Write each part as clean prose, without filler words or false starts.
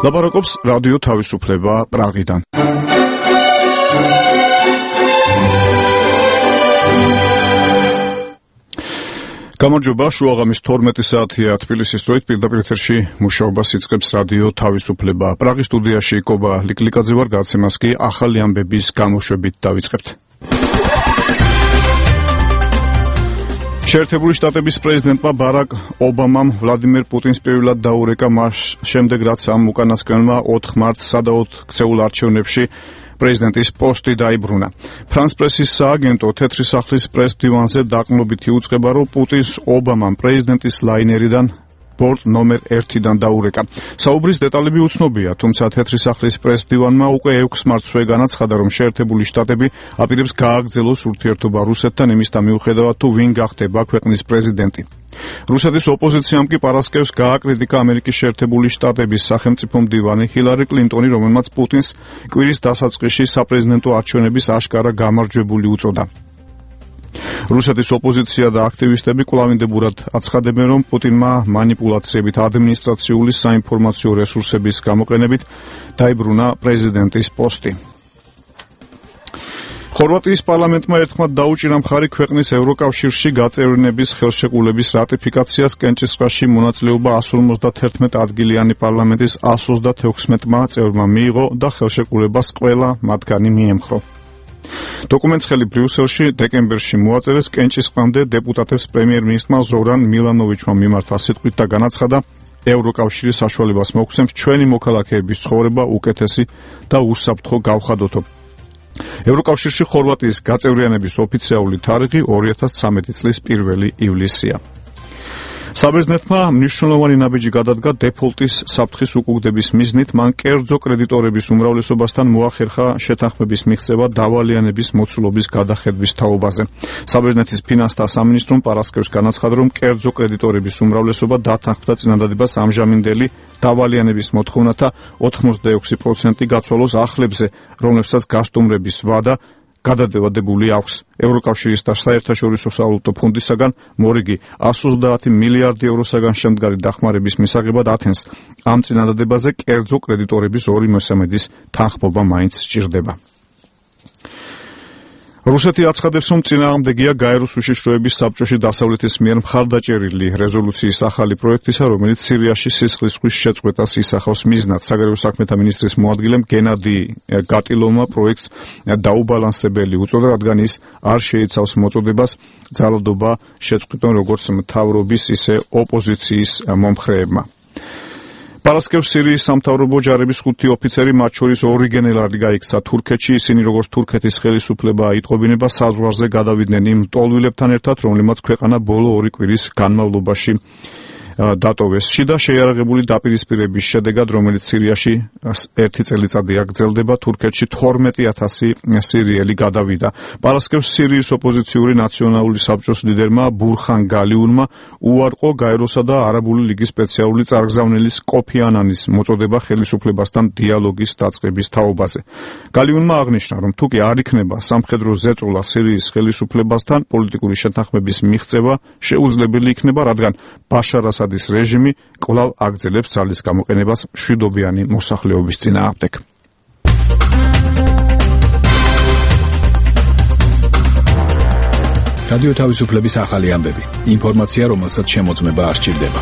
ლაპარაკობს რადიო თავისუფლება პრაღიდან. გამარჯობა, შუაღამის 12 საათია თბილისის დროით, პირდაპირ ეთერში მუშაობას იწყებს რადიო თავისუფლება. პრაღის სტუდიაში კობა ლიკლიკაძე ვარ, გადაცემას კი ახალი ამბების გამოშვებით დავიწყებთ. შეერთებული შტატების პრეზიდენტმა ბარაკ ობამამ ვლადიმერ პუტინს პირველად დაურეკა მას შემდეგ, რაც ამ უკანასკნელმა 4 მარტს სადაოდ ქცეულ არჩევნებში პრეზიდენტის პოსტი დაიბრუნა. ფრანს პრესის სააგენტო თეთრი სახლის პრეს-დივანზე დაყრდნობითი უწყება, რომ პუტინს ობამამ პრეზიდენტის ლაინერიდან ბორტ ნომერ 1-დან დაურეკა. საუბრის დეტალები უცნობია, თუმცა თეთრი სახლის პრეს-დივანმა უკვე 6 მარტსვე განაცხადა, რომ შეერთებული შტატები აპირებს გააგრძელოს ურთიერთობა რუსეთთან იმისთან მიუხედავად, თუ ვინ გახდება ქვეყნის პრეზიდენტი. რუსეთის ოპოზიციამ კი პარასკევს გააკრიტიკა ამერიკის შეერთებული შტატების სახელმწიფო მდივანი ჰილარი კლინტონი, რომელმაც პუტინს კვირის დასაწყისში საპრეზიდენტო არჩევნების აშკარა გამარჯვებული უწოდა. რუსეთის ოპოზიცია და აქტივისტები კვლავინდებურად აცხადებენ, რომ პუტინმა მანიპულაციებით ადმინისტრაციული საინფორმაციო რესურსების გამოყენებით დაიბრუნა პრეზიდენტის პოსტი. ხორვატიის პარლამენტმა ერთხმად დაუჭირა მხარი ქვეყნის ევროკავშირში გაწევრიანების ხელშეკრულების რატიფიკაციას. კენჭისყრაში მონაწილეობა 151 ადგილიანი პარლამენტის 136-მა წევრმა მიიღო და ხელშეკრულებას ყველა მათგანი მიემხრო. დოკუმენტს ხელი ბრიუსელში დეკემბერში მოაწერეს. კენჭისყრამდე დეპუტატებს პრემიერ-მინისტრმა ზორან მილანოვიჩმა მიმართა სიტყვით და განაცხადა, ევროკავშირი საშუალებას მოგცემს ჩვენი მოქალაქეების ცხოვრება უკეთესი და უსაფრთხო გავხადოთო. ევროკავშირში ხორვატიის გაწევრიანების ოფიციალური თარიღი 2013 წლის 1 ივლისია. საბერძნეთმა მნიშვნელოვანი ნაბიჯი გადადგა დეფოლტის საფრთხის უკუგდების მიზნით. მან კერძო კრედიტორების უმრავლესობასთან მოახერხა შეთანხმების მიღწევა დავალიანების მოცულობის გადახედვის თაობაზე. საბერძნეთის ფინანსთა სამინისტრომ პარასკევს განაცხადა, რომ კერძო კრედიტორების უმრავლესობა დათანხმდა წინადადებას ამჟამინდელი დავალიანების მოთხოვნათა 86% გაცვალოს ახლებზე, რომლებსაც გასტუმრების ვადა გადადევადებული აქვს. ევროკავშირის და საერთაშორისო სავალუტო ფონდისაგან მორიგი 130 მილიარდი ევროსაგან შემდგარი დახმარების მისაღებად ათენს. ამ წინადადებაზე კერძო კრედიტორების 2/3 თანხმობა მაინც სჭირდება. რუსეთი აცხადებს, რომ წინააღმდეგია გაეროს უშიშროების საბჭოში დასავლეთის მიერ მხარდაჭერილი რეზოლუციის ახალი პროექტისა, რომელიც სირიაში სისხლის ზღვის შეწყვეტას ისახავს მიზნად. საგარეო საქმეთა მინისტრის მოადგილემ გენადი გატილოვმა პროექტს დაუბალანსებელი უწოდა, რადგან ის არ შეიცავს მოწოდებას ძალადობა შეწყვიტონ როგორც მთავრობის, ისე ოპოზიციის მომხრეებმა. პარასკევს სირიის სამთავრობო ჯარების 5 ოფიცერი, მათ შორის 2 გენერალი გაიქცა თურქეთში. ისინი როგორც თურქეთის ხელისუფლება აიტყობინება, საზღვარზე გადავიდნენ იმ მტოლვილებთან ერთად, რომლებმაც ქვეყანა ბოლო 2 კვირის განმავლობაში დატოვეს. შიდა შეიარაღებული დაპირისპირების შედეგად, რომელიც სირიაში 1 წელიწადი აგრძელდება, თურქეთში 12,000 სირიელი გადავიდა. პარასკევს სირიის ოპოზიციური ნაციონალური საბჭოს ლიდერმა ბურხან გალიუნმა უარყო გაეროსა და არაბული ლიგის სპეციალური წარგზავნილის კოფი ანანის მოწოდება ხელისუფლებასთან დიალოგის დაწყების თაობაზე. გალიუნმა აღნიშნა, რომ თუკი არ იქნება სამხედრო ზეწოლა სირიის ხელისუფლებასთან, პოლიტიკური შეთანხმების მიღწევა შეუძლებელი იქნება, რადგან ბაშარ ასადის რეჟიმი კვლავ აგრძელებს ძალის გამოყენებას მშვიდობიანი მოსახლეობის წინააღმდეგ. რადიო თავისუფლების ახალი ამბები. ინფორმაცია, რომელსაც შემოწმება არ სჭირდება.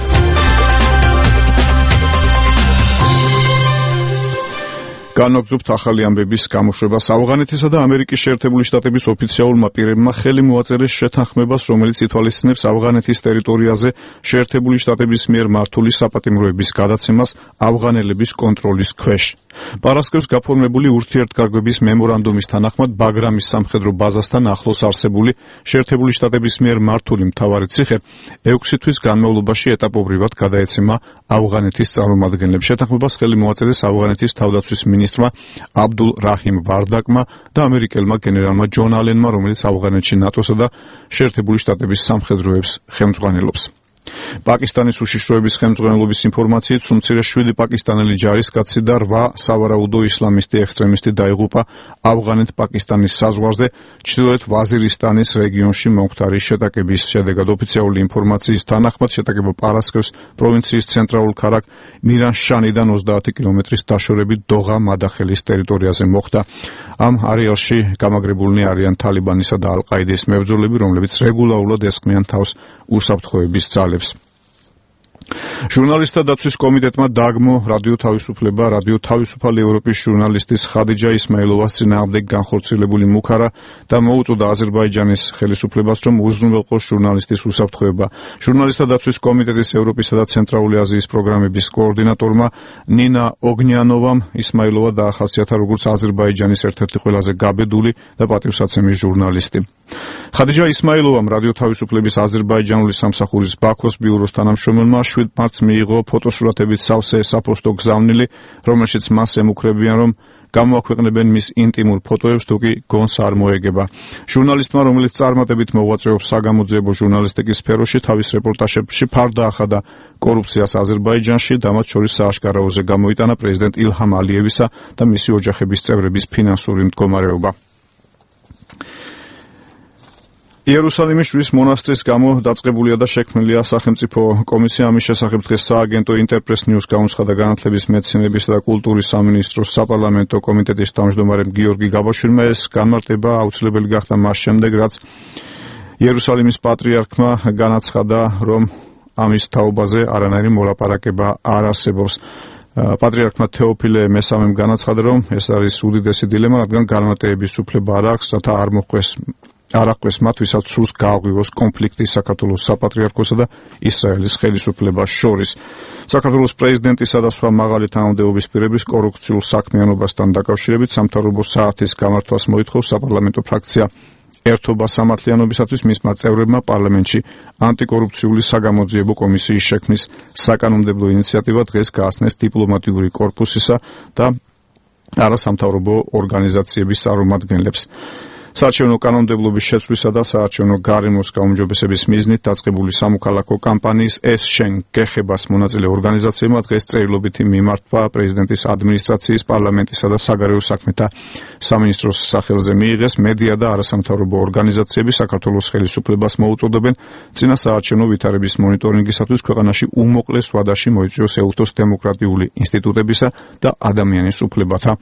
განვაგრძობთ ახალი ამბების გამოშვებას. ავღანეთისა და ამერიკის შეერთებული შტატების ოფიციალურმა პირებმა ხელი მოაწერეს შეთანხმებას, რომელიც ითვალისწინებს ავღანეთის ტერიტორიაზე შეერთებული შტატების მიერ მართული საპატიმროების გადაცემას ავღანელების კონტროლის ქვეშ. პარასკევს გაფორმებული ურთიერთგარკვების მემორანდუმის თანახმად ბაგრამის სამხედრო ბაზასთან ახლოს არსებული შეერთებული შტატების მიერ მართული მთავარი ციხე 6 თვის განმავლობაში ეტაპობრივად გადაეცემა ავღანეთის წარმომადგენლებს. შეთანხმებას ხელი მოაწერეს ავღანეთის თავდაცვის მინისტრმა აბდულ რაჰიმ ვარდაკმა და ამერიკელმა გენერალმა ჯონ ალენმა, რომელიც ავღანეთში ნატოსა და შეერთებული შტატების სამხედროებს ხელმძღვანელობს. პაკისტანის უშიშროების ხელმძღვანელობის ინფორმაციით, სულ 7 პაკისტანელი ჯარისკაცი და 8 სავარაუდო ისლამისტი ექსტრემისტი დაიღუპა ავღანეთ-პაკისტანის საზღვარზე, ჩრდილოეთ ვაზირისტანის რეგიონში მომხდარი შეტაკების შედეგად. ოფიციალური ინფორმაციის თანახმად, შეტაკება პარასკევს პროვინციის ცენტრალურ ქალაქ მირანშანიდან 30 კილომეტრის დაშორებით დოღა მადახელის ტერიტორიაზე მოხდა. ამ არეალში გამაგრებულნი არიან თალიბანისა და ალ-ყაიდის მებრძოლები, რომლებიც რეგულარულად ესხმიან თავს უსაფრთხოების ძალებს. ჟურნალისტთა დაცვის კომიტეტმა დააგმო რადიო თავისუფლება რადიო თავისუფალი ევროპის ჟურნალისტის ხადიჯა ისმაილოვას წინააღმდეგ განხორციელებული მუქარა და მოუწოდა აზერბაიჯანის ხელისუფლებას, რომ უზრუნველყოს ჟურნალისტის უსაფრთხოება. ჟურნალისტთა დაცვის კომიტეტის ევროპისა და ცენტრალური აზიის პროგრამების კოორდინატორმა ნინა ოგნიანოვამ ისმაილოვა დაახასიათა როგორც აზერბაიჯანის ერთ-ერთი ყველაზე გაბედული და პატივსაცემი ჟურნალისტი. ხადიჯა ისმაილოვამ რადიო თავისუფლების აზერბაიჯანული სამსახურის ბაქოს ბიუროს თანამშრომელმა 7 მარტს მიიღო ფოტოსურათებით სავსე საფოსტო გზავნილი, რომელშიც მას ემუქრებიან, რომ გამოაქვეყნებენ მის ინტიმურ ფოტოებს, თუ კი გონს არ მოეგება. ჟურნალისტმა, რომელიც წარმატებით მოღვაწეობს საგამოძიებო ჟურნალისტიკის სფეროში, თავის რეპორტაჟებში ფარდა ახადა კორუფციას აზერბაიჯანში და მათ შორის სააშკარაოზე გამოიტანა პრეზიდენტ ილჰამ ალიევისა და მისი ოჯახების წევრების ფინანსური მდგომარეობა. იერუსალიმის შვრის მონასტრის გამო დაწყებულია და შექმნილია სახელმწიფო კომისია. ამის შესახებ დღეს სააგენტო ინტერპრეს ნიუს გაუნცხადა განათლების, მეცნიერებისა და კულტურის სამინისტროს საპარლამენტო კომიტეტის თავმჯდომარემ გიორგი გაბაშვილი. ეს განმარტება აუცილებელი გახდა მას შემდეგ, რაც იერუსალიმის პატრიარქმა განაცხადა, რომ ამის თაობაზე არანაირი მოლაპარაკება არ არსებობს. პატრიარქმა თეოფილე მესამემ განაცხადა, რომ ეს არის უდიდესი დილემა, რადგან განმარტების უფლება არ აქვს, რათა არ აღკვეს მათ, ვისაც სურს გააღვივოს კონფლიქტი საქართველოს საპატრიარქოსა და ისრაელის ხელისუფლებას შორის. საქართველოს პრეზიდენტისა და სხვა მაღალი თანამდებობის პირების კორუფციულ საქმიანობასთან დაკავშირებით სამთავრობო საათის გამართვას მოითხოვს საპარლამენტო ფრაქცია ერთობა სამართლიანობისათვის. მისმა წევრებმა პარლამენტში ანტიკორუფციული საგამოძიებო კომისიის შექმნის საკანონმდებლო ინიციატივა დღეს გააცნეს დიპლომატიური კორპუსისა და არასამთავრობო ორგანიზაციების წარმომადგენლებს. საარჩევნო კანონმდებლობის შეცვლისა და საარჩევნო გარემოს გაუმჯობესების მიზნით დაწყებული სამოქალაქო კამპანიის ეს შენ გეხებას მონაწილე ორგანიზაციებმა დღეს წერილობითი მიმართვა პრეზიდენტის ადმინისტრაციის, პარლამენტისა და საგარეო საქმეთა სამინისტროს სახელზე მიიღეს. მედია და არასამთავრობო ორგანიზაციები საქართველოს ხელისუფლებას მოუწოდებენ წინა საარჩევნო ვითარების მონიტორინგისათვის ქვეყანაში უმოკლეს ვადაში მოიწვიოს ეუთოს დემოკრატიული ინსტიტუტებისა და ადამიანის უფლებათა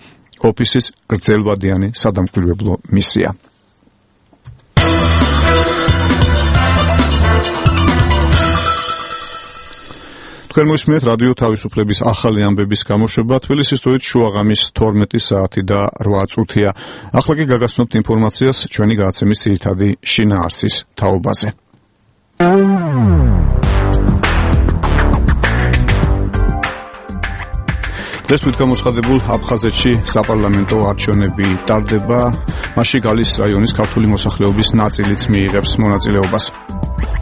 ოფისის გრძელვადიანი სადამკვირვებლო მისია. თქვენ მოსმენთ რადიო თავისუფლების ახალი ამბების გამოშვება. თბილისის დროით შუაღამის 12 საათი და 8 წუთია. ახლა კი გაგაცნობთ ინფორმაციას ჩვენი გადაცემის ძირითადი შინაარსის თაობაზე. დღეს თვითგამოცხადებულ აფხაზეთში საპარლამენტო არჩევნები ტარდება. მასში გალის რაიონის ქართული მოსახლეობის ნაწილიც მიიღებს მონაწილეობას.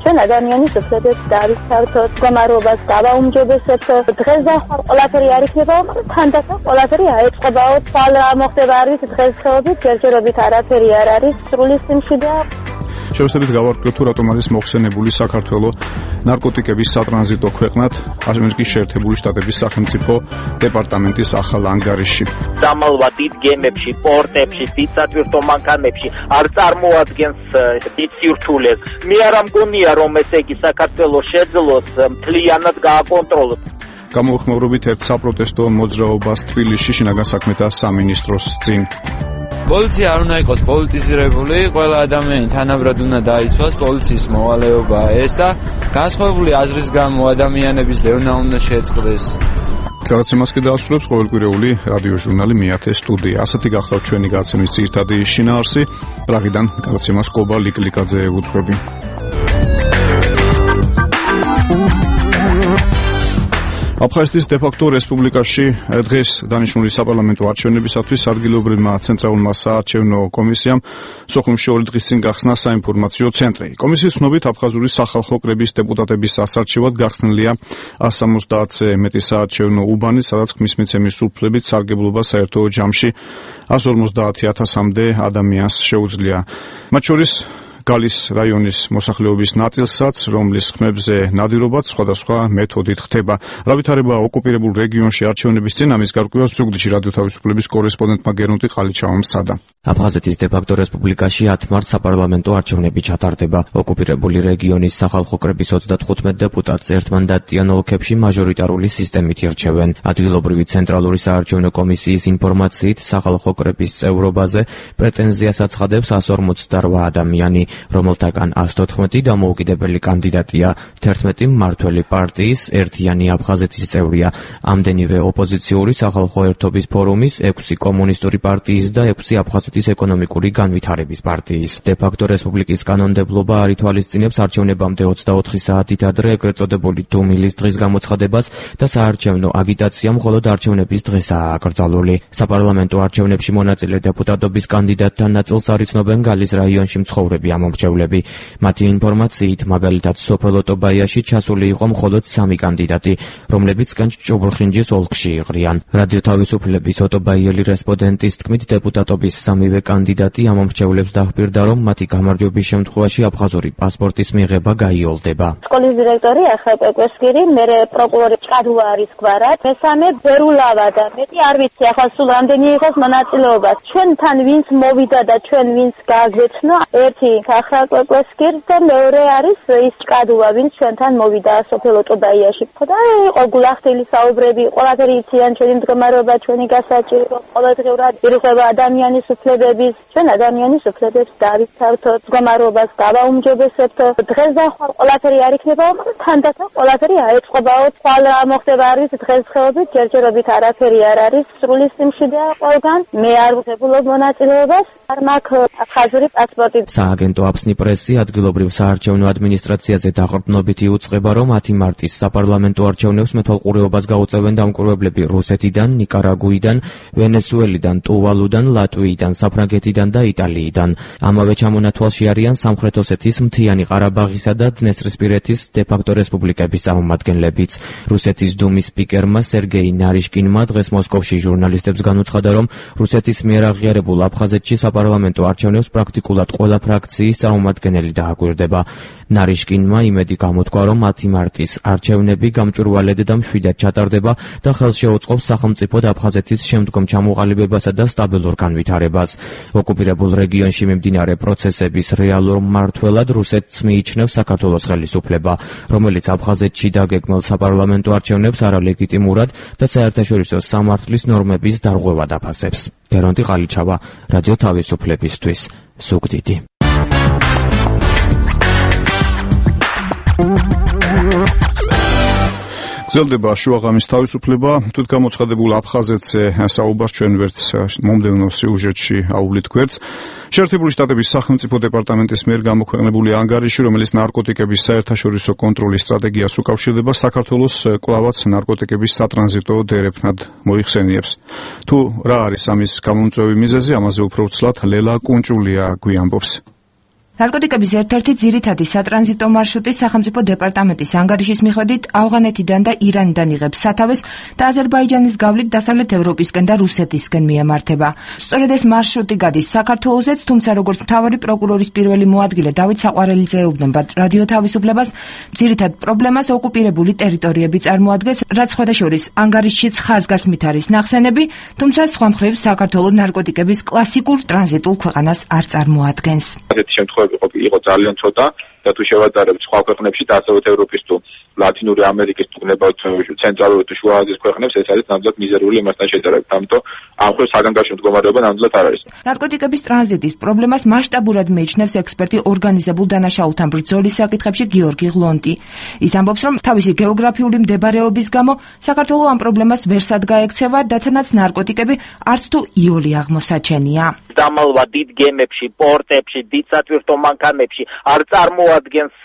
ჩვენ ადამიანის უფლებებს დავიცავთ, მდგომარეობას დავაუმჯობესებთ. დღეს და ყველაფერი არ იქნება, თანდათან ყველაფერი აეწყობაო. თვალ რა მოხდება არის დღესდღეობით, ჯერჯერობით არაფერი არ არის სრული სიმშვიდეა. შევსებით გავარკვიოთ, თუ რატომ არის მოხსენებული საქართველო ნარკოტიკების სატრანზიტო ქვეყნად ამერიკის შეერთებული შტატების სახელმწიფო დეპარტამენტის ახალ ანგარიშში. დამალვა დიდ გემებში, პორტებში, დიდ სატვირთო მანქანებში არ წარმოადგენს დიდ სირთულეს. მე არ მგონია, რომ ესე იგი საქართველოს შეძლოს მთლიანად გააკონტროლოს. გამოუხმოვრობით ერთ საპროტესტო მოძრაობას თბილისში შინაგან საქმეთა სამინისტროს წინ. პოლიცია არ უნდა იყოს პოლიტიზირებული, ყველა ადამიანი თანაბრად უნდა დაიცვას პოლიციის მოვალეობა ეს და განსხვავებული აზრის გამო ადამიანების დევნა უნდა შეწყდეს. გადაცემას კი დაასრულებს ყოველკვირეული რადიო ჟურნალი მეათე სტუდია. ასეთი გახლავთ ჩვენი გადაცემის ძირითადი შინაარსი. პრაღიდან გადაცემას კობა ლიკლიკაძე უძღვები. აფხაზეთის დე-ფაქტო რესპუბლიკაში დღეს დანიშნული საპარლამენტო არჩევნებისათვის ადგილობრივმა ცენტრალურმა საარჩევნო კომისიამ სოხუმში 2 დღის წინ გახსნა საინფორმაციო ცენტრი. კომისიის ცნობით აფხაზური სახალხო კრების დეპუტატების ასარჩევად გახსნილია 170-ზე მეტი საარჩევნო უბანი, სადაც ხმის მიცემის უფლებით სარგებლობა საერთო ჯამში 150,000-მდე ადამიანს შეუძლია. მათ შორის გალის რაიონის მოსახლეობის ნაწილსაც, რომლის ხმებზე ნადირობაც სხვადასხვა მეთოდით ხდება. რა ვითარება ოკუპირებულ რეგიონში არჩევნების წინ, ამის გარკვევას ზუგდიდში რადიო თავისუფლების კორესპონდენტმა გერუნტი ყალიჩავამ სცადა. აფხაზეთის დე-ფაქტო რესპუბლიკაში 10 მარტს საპარლამენტო არჩევნები ჩატარდება. ოკუპირებული რეგიონის სახალხო კრების 35 დეპუტატს ერთმანდატიან ოლქებში მაჟორიტარული სისტემით ირჩევენ. ადგილობრივი ცენტრალური საარჩევნო კომისიის ინფორმაციით, სახალხო კრების წევრობაზე პრეტენზიას აცხადებს 148 ადამიანი, რომელთაგან 114 დამოუკიდებელი კანდიდატია, 11 მმართველი პარტიის ერთიანი აფხაზეთის წევრია, ამდენივე ოპოზიციური სახალხო ერთობის ფორუმის, 6 კომუნისტური პარტიის და 6 აფხაზეთის ეკონომიკური განვითარების პარტიის. დე-ფაქტო რესპუბლიკის კანონმდებლობა არ ითვალისწინებს არჩევნებამდე 24 საათით ადრე ეგრეთ წოდებული დუმილის დღის გამოცხადებას და საარჩევნო აგიტაცია მხოლოდ არჩევნების დღესაა აკრძალული. საპარლამენტო არჩევნებში მონაწილე დეპუტატობის კანდიდატთან ნაწილს არ იცნობენ გალის რაიონში მცხოვრები ამომრჩევლები. მათი ინფორმაციით, მაგალითად, სოფელ ოტობაიაში ჩასული იყო მხოლოდ 3 კანდიდატი, რომლებიც კენჭ-ჭუბლხინჯის ოლქში იყრიან. რადიო თავისუფლების ოტობაიელი რესპონდენტის თქმით, დეპუტატობის 3-ვე კანდიდატი ამომრჩევლებს დაჰპირდა, რომ მათი გამარჯვების შემთხვევაში აფხაზური პასპორტის მიღება გაიოლდება. სკოლის დირექტორი ახალ პეკვესკირი, მერე პროკურორი ჭკადუა არის გვარად, მესამე ბერულავა და მეტი არ ვიცი ახლა სულ რამდენი იყოს მონაწილეობა. ჩვენთან ვინც მოვიდა და ჩვენ ვინც გააგვეცნო, ერთი ახალ პეკვესკირი და მეორე არის ის ჭკადუა, ვინც ჩვენთან მოვიდა სოფელ ოტობაიაში. და იყო გულახდილი საუბრები, ყველაფერი იციან ჩვენი მდგომარეობა, ჩვენი გასაჭირო, ყოველდღიურად ირღვევა ადამიანის უფლებების, ჩვენ ადამიანის უფლებებს დავიცავთოთ, მდგომარეობას დავაუმჯობესებთ. დღეს და ხვალ ყველაფერი არ იქნება, თანდათან ყველაფერი აეწყობაო, ხვალ რა მოხდება არ ვიცი, დღესდღეობით ჯერჯერობით არაფერი არ არის, სრული სიმშვიდეა ყველგან. მე არ ვღებულობ მონაწილეობას, არ მაქვს აფხაზური პასპორტი. სააგენტო აფსნი პრესი ადგილობრივ საარჩევნო ადმინისტრაციაზე დაყრდნობით იუწყება, რომ 10 მარტის საპარლამენტო არჩევნებს მეთვალყურეობას გაუწევენ დამკვირვებლები რუსეთიდან, ნიკარაგუიდან, ვენესუელიდან, ტუვალუდან, ლატვიიდან, საფრანგეთიდან და იტალიიდან. ამავე ჩამონათვალში არიან სამხრეთ ოსეთის, მთიანი ყარაბაღისა და დნესტრისპირეთის დე-ფაქტო რესპუბლიკების წარმომადგენლებიც. რუსეთის დუმის სპიკერმა სერგეი ნარიშკინმა დღეს მოსკოვში ჟურნალისტებს განუცხადა, რომ რუსეთის მიერ აღიარებულ აფხაზეთში საპარლამენტო არჩევნებს პრაქტიკულად ყველა ფრაქციის წარმომადგენელი დააკვირდება. ნარიშკინმა იმედი გამოთქვა, რომ 10 მარტის არჩევნები გამჭვირვალედ და მშვიდად ჩატარდება და ხელს შეუწყობს სახელმწიფოდ აფხაზეთის შემდგომ ჩამოყალიბებასა და სტაბილურ განვითარებას. ოკუპირებულ რეგიონში მიმდინარე პროცესების რეალურ მმართველად რუსეთს მიიჩნევს საქართველოს ხელისუფლება, რომელიც აფხაზეთში დაგეგმილ საპარლამენტო არჩევნებს არალეგიტიმურად და საერთაშორისო სამართლის ნორმების დარღვევად აფასებს. გერონტი ყალიჩავა, რადიო თავისუფლებისთვის, ზუგდიდი. გრძელდება შუაღამის თავისუფლება, თვით გამოცხადებულ აფხაზეთზე საუბარს ჩვენ ვერც მომდევნო სიუჟეტში აუვლით გვერდს. შეერთებული შტატების სახელმწიფო დეპარტამენტის მიერ გამოქვეყნებული ანგარიში, რომელიც ნარკოტიკების საერთაშორისო კონტროლის სტრატეგიას უკავშირდება, საქართველოს კვლავაც ნარკოტიკების სატრანზიტო დერეფნად მოიხსენიებს. თუ რა არის ამის გამომწვევი მიზეზი, ამაზე უფრო ვცლად ლელა კუნჭულია გვიამბობს. ნარკოტიკების ერთ-ერთი ძირითადი სატრანზიტო მარშრუტი სახელმწიფო დეპარტამენტის ანგარიშის მიხედვით ავღანეთიდან და ირანიდან იღებს სათავეს და აზერბაიჯანის გავლით დასავლეთ ევროპისკენ და რუსეთისკენ მიემართება. სწორედ ეს მარშრუტი გადის საქართველოსაც, თუმცა როგორც მთავარი პროკურორის პირველი მოადგილე დავით საყვარელიძე ეუბნება რადიო თავისუფლებას, ძირითად პრობლემას ოკუპირებული ტერიტორიები წარმოადგენს, რაც სხვადასხვა ანგარიშშიც ხაზგასმით არის ნახსენები, თუმცა სხვა მხრივ საქართველოს ნარკოტიკების კლასიკურ ტრანზიტულ ქვეყანას არ წარმოადგენს. იყო ძალიან ცოტა და თუ შევადარებთ სხვა ქვეყნებში და დასავლეთ ევროპის თუ ლათინური ამერიკის თუ ნებავთ ცენტრალური თუ შუა აზიის ქვეყნებს, ეს არის ნამდვილად მიზერული იმასთან შედარებით, ამიტომ ამ ხელ საგანგაშო მდგომარეობა ნამდვილად არ არის. ნარკოტიკების ტრანზიტის პრობლემას მასშტაბურად მიიჩნევს ექსპერტი ორგანიზებულ დანაშაულთან ბრძოლის საკითხებში გიორგი ღლონტი. ის ამბობს, რომ თავისი გეოგრაფიული მდებარეობის გამო საქართველოს ამ პრობლემას ვერ სადგაექცევა, დათანაც ნარკოტიკები არც თუ იოლი აღმოსაჩენია. დამალვა დიდ გემებში, პორტებში, დიდ სატვირთო მანქანებში არ წარმოადგენს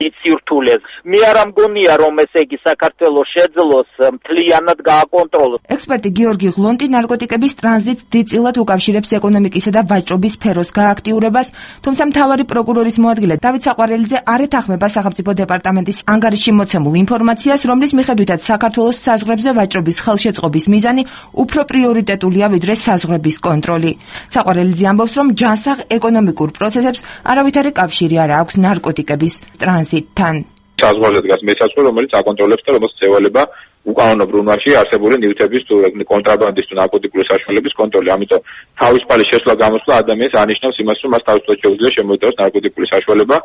დიდ სირთულეს. მე არ ამგონი მგონია რომ ესე იგი საქართველოს შეძლოს მთლიანად გააკონტროლოს. ექსპერტი გიორგი ღლონტი ნარკოტიკების ტრანზიტს დიდწილად უკავშირებს ეკონომიკისა და ვაჭრობის სფეროს გააქტიურებას, თუმცა მთავარი პროკურორის მოადგილე დავით საყვარელიძე არ ეთანხმება სახელმწიფო დეპარტამენტის ანგარიში მოცემულ ინფორმაციას, რომლის მიხედვითაც საქართველოს საზღვრებზე ვაჭრობის ხელშეწყობის მიზანი უფრო პრიორიტეტულია ვიდრე საზღვრების კონტროლი. საყვარელიძე ამბობს, რომ ჯანსაღ ეკონომიკურ პროცესებს არავითარი კავშირი არ აქვს ნარკოტიკების ტრანზიტთან. საზღვარზე დგას მესაცვე, რომელიც აკონტროლებს და რომელსაც ევალება უკანონო ბრუნვაში არსებული ნივთების თუ კონტრაბანდის თუ ნარკოტიკული საშუალების კონტროლი. ამიტომ თავისუფალი შესვლა გამოსვლა ადამიანს ანიშნავს იმას, რომ მას თავისუფლად შეუძლია შემოიტანოს ნარკოტიკული საშუალება.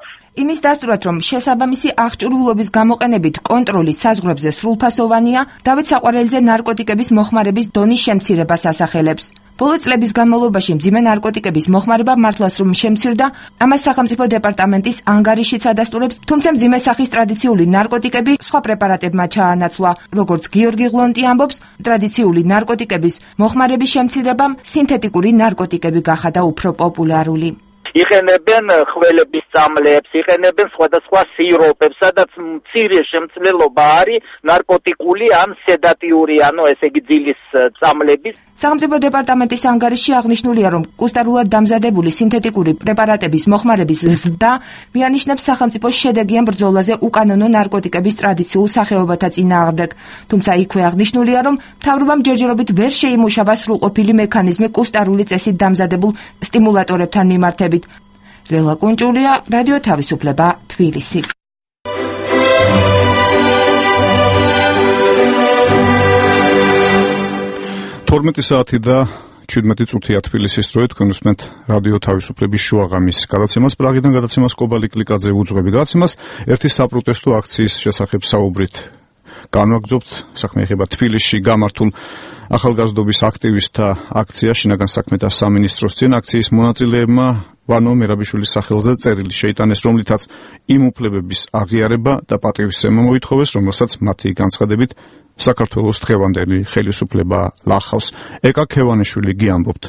იმის დასტურად, რომ შესაბამისი აღჭურვილობის გამოყენებით კონტროლი საზღვრებზე სრულფასოვანია, დავით საყვარელიძე ნარკოტიკების მოხმარების დონის შემცირებას ასახელებს. ბოლო წლების განმავლობაში მძიმე ნარკოტიკების მოხმარება მართლაც რომ შემცირდა, ამას სახელმწიფო დეპარტამენტის ანგარიშიც ადასტურებს, თუმცა მძიმე სახის ტრადიციული ნარკოტიკები სხვა პრეპარატებმა ჩაანაცვლა. როგორც გიორგი ღლონტი ამბობს, ტრადიციული ნარკოტიკების მოხმარების შემცირებამ სინთეტიკური ნარკოტიკები გახადა უფრო პოპულარული. იყენებენ ხველების წამლებს, იყენებენ სხვადასხვა სიროპებს, სადაც მცირე შემცვლელობა არის ნარკოტიკული ან სედატიური, ანუ ესე იგი ძილის წამლების. სახელმწიფო დეპარტამენტის ანგარიშში აღნიშნულია, რომ კუსტარულად დამზადებული სინთეტიკური პრეპარატების მოხმარების ზრდა მიანიშნებს სახელმწიფოს შედეგიან ბრძოლაზე უკანონო ნარკოტიკების ტრადიციულ სახეობათა წინააღმდეგ. თუმცა იქვე აღნიშნულია, რომ მთავრობამ ჯერჯერობით ვერ შეიმუშავა სრულყოფილი მექანიზმი კუსტარული წესით დამზადებულ სტიმულატორებთან მიმართებით. ლელა კუნჭულია, რადიო თავისუფლება, თბილისი. 12 საათი და 17 წუთია თბილისის დროით, თქვენ უსმენთ რადიო თავისუფლების შუაღამის გადაცემას. პრაღიდან გადაცემას კობალი კლიკაძე უძღვები გადაცემას. ერთი საპროტესტო აქციის შესახებ საუბრით განვაგრძობთ. საქმე ეხება თბილისში გამართულ ახალგაზრდობის აქტივისტთა აქცია შინაგან საქმეთა სამინისტროს წინ. აქციის მონაწილეებმა ვანო მერაბიშვილის სახელზე წერილი შეიტანეს, რომლითაც იმ უფლებების აღიარება და პატივისცემა მოითხოვეს, რომელსაც მათი განცხადებით საქართველოს დღევანდელი ხელისუფლება ლახავს. ეკა ქევანიშვილი გიამბობთ.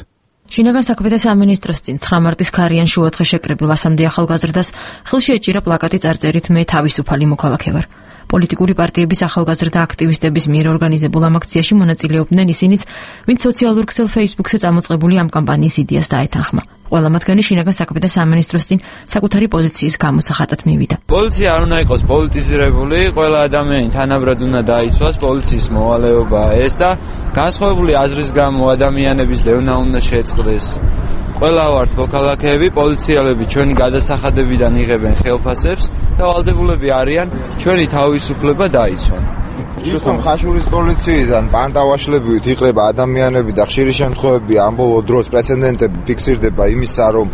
შინაგან საქმეთა სამინისტროს წინ 9 მარტის ქარიან შუადღე შეკრებილ ასამდე ახალგაზრდას ხელში ეჭირა პლაკატი წარწერით მე თავისუფალი მოქალაქე ვარ. პოლიტიკური პარტიების ახალგაზრდა აქტივისტების მიერ ორგანიზებულ ამ აქციაში მონაწილეობდნენ ისინიც, ვინც სოციალურ ქსელ Facebook-ზე წამოწყებული ამ კამპანიის იდეას დაეთანხმა. ყველა მათგანი შინაგან საქმეთა სამინისტროს წინ საკუთარი პოზიციის გამოსახატად მივიდა. პოლიცია არ უნდა იყოს პოლიტიზირებული, ყველა ადამიანი თანაბრად უნდა დაიცვას, პოლიციის მოვალეობაა ეს და განსხვავებული აზრის გამო ადამიანების დევნა უნდა შეწყდეს. ყველა ვართ მოქალაქეები, პოლიციელები ჩვენი გადასახადებიდან იღებენ ხელფასებს და ვალდებულები არიან ჩვენი თავისუფლება დაიცვან. Იხომ ხაშურის პოლიციიდან პანტავაშლებივით იყრება ადამიანები და ხშირი შემთხვევები ამ ბოლო დროს პრეცედენტები ფიქსირდება იმისა, რომ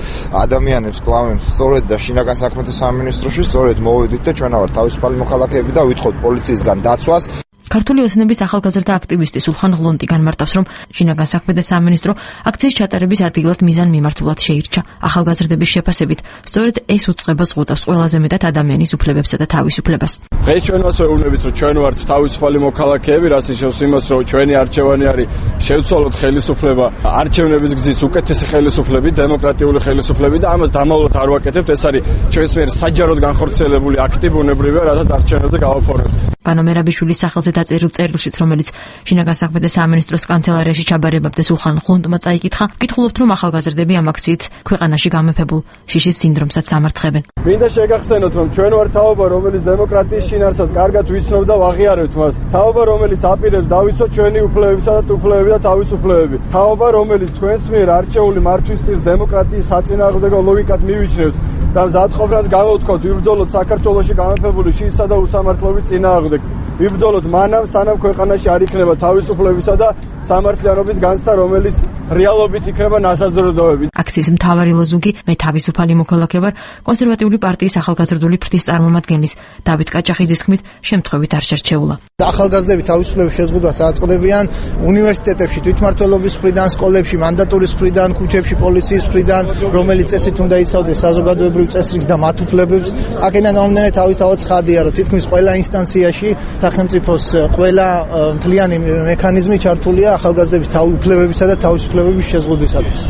ადამიანებს კლავენ სწორედ და შინაგან საქმეთა სამინისტროში სწორედ მოვედით და ჩვენ ვართ თავისუფალი მოქალაქეები და ვითხოვთ პოლიციისგან დაცვას. ქართული ოცნების ახალგაზრდა აქტივისტი სულხან ღლონტი განმარტავს, რომ შინაგან საქმეთა სამინისტრო აქციის ჩატარების ადგილად მიზან მიმართულად შეირჩა. ახალგაზრდების შეფასებით, სწორედ ეს უწყება ზღუდავს ყველაზე მეტად ადამიანის უფლებებსა და თავისუფლებას. დღეს ჩვენ მას ვეუბნებით, რომ ჩვენ ვართ თავისუფალი მოქალაქეები, რაც ნიშნავს იმას, რომ ჩვენი არჩევანი არის შევცვალოთ ხელისუფლება, არჩევნების გზით უკეთესი ხელისუფლები, დემოკრატიული ხელისუფლები და ამას დამალულად არ ვაკეთებთ. ეს არის ჩვენს მიერ საჯაროდ განხორციელებული აქტი ბუნებრივია, რასაც არჩევნებზე გავაფორმებთ. ვანო მერაბიშვილის სახელზე დაწერილ წერილშიც, რომელიც შინაგან საქმეთა სამინისტროს კანცელარიაში ჩაბარებამდე სულხან ღლონტმა წაიკითხა, გითხულობთ, რომ ახალგაზრდები ამ აქციით ქვეყანაში გამეფებულ შიშის სინდრომსაც სამარცხებენ. მინდა შეგახსენოთ, რომ ჩვენ ვართ თაობა, რომელიც დემოკრატიის შინაარსს კარგად ვიცნობ და ვაღიარებთ მას. თაობა, რომელიც აპირებს დავიცვათ ჩვენი უფლებებისა და უფლებები და თავისუფლებები. თაობა, რომელიც თქვენს მიერ არჩეული მართვისთვის დემოკრატიის საწინააღმდეგო ლოგიკად მივიჩნევთ და მზადყოფნას გამოვთქვათ ვიბრძოლოთ საქართველოში გამეფებული შიშისა და უსამართლობის წინააღმდეგ. ვიბრძოლოთ მანამ, სანამ ქვეყანაში არ იქნება თავისუფლებისა და სამართლიანობის განცდა, რომელიც რეალობით იქნება ნასაზრდოები. აქციის მთავარი ლოზუნგი მე თავისუფალი მოქალაქე ვარ კონსერვატიული პარტიის ახალგაზრდული ფრთის წარმომადგენლის დავით კაჭახიძის თქმით, შემთხვევით არ შერჩეულა. ახალგაზრდები თავისუფლების შეზღუდვას აწყდებიან უნივერსიტეტებში, თვითმმართველობის მხრიდან, სკოლებში, მანდატურის მხრიდან, ქუჩებში, პოლიციის მხრიდან, რომელიც წესით უნდა იცავდეს საზოგადოებრივ წესრიგს და მათ უფლებებს. აქედან მომდევნო თავისთავად ცხადია, რომ თითქმის ყველა ინსტანციაში სახელმწიფოს ყველა მთლიანი მექანიზმი ჩართულია ახალგაზრდების უფლებებისა და თავისუფლებების შეზღუდვისათვის.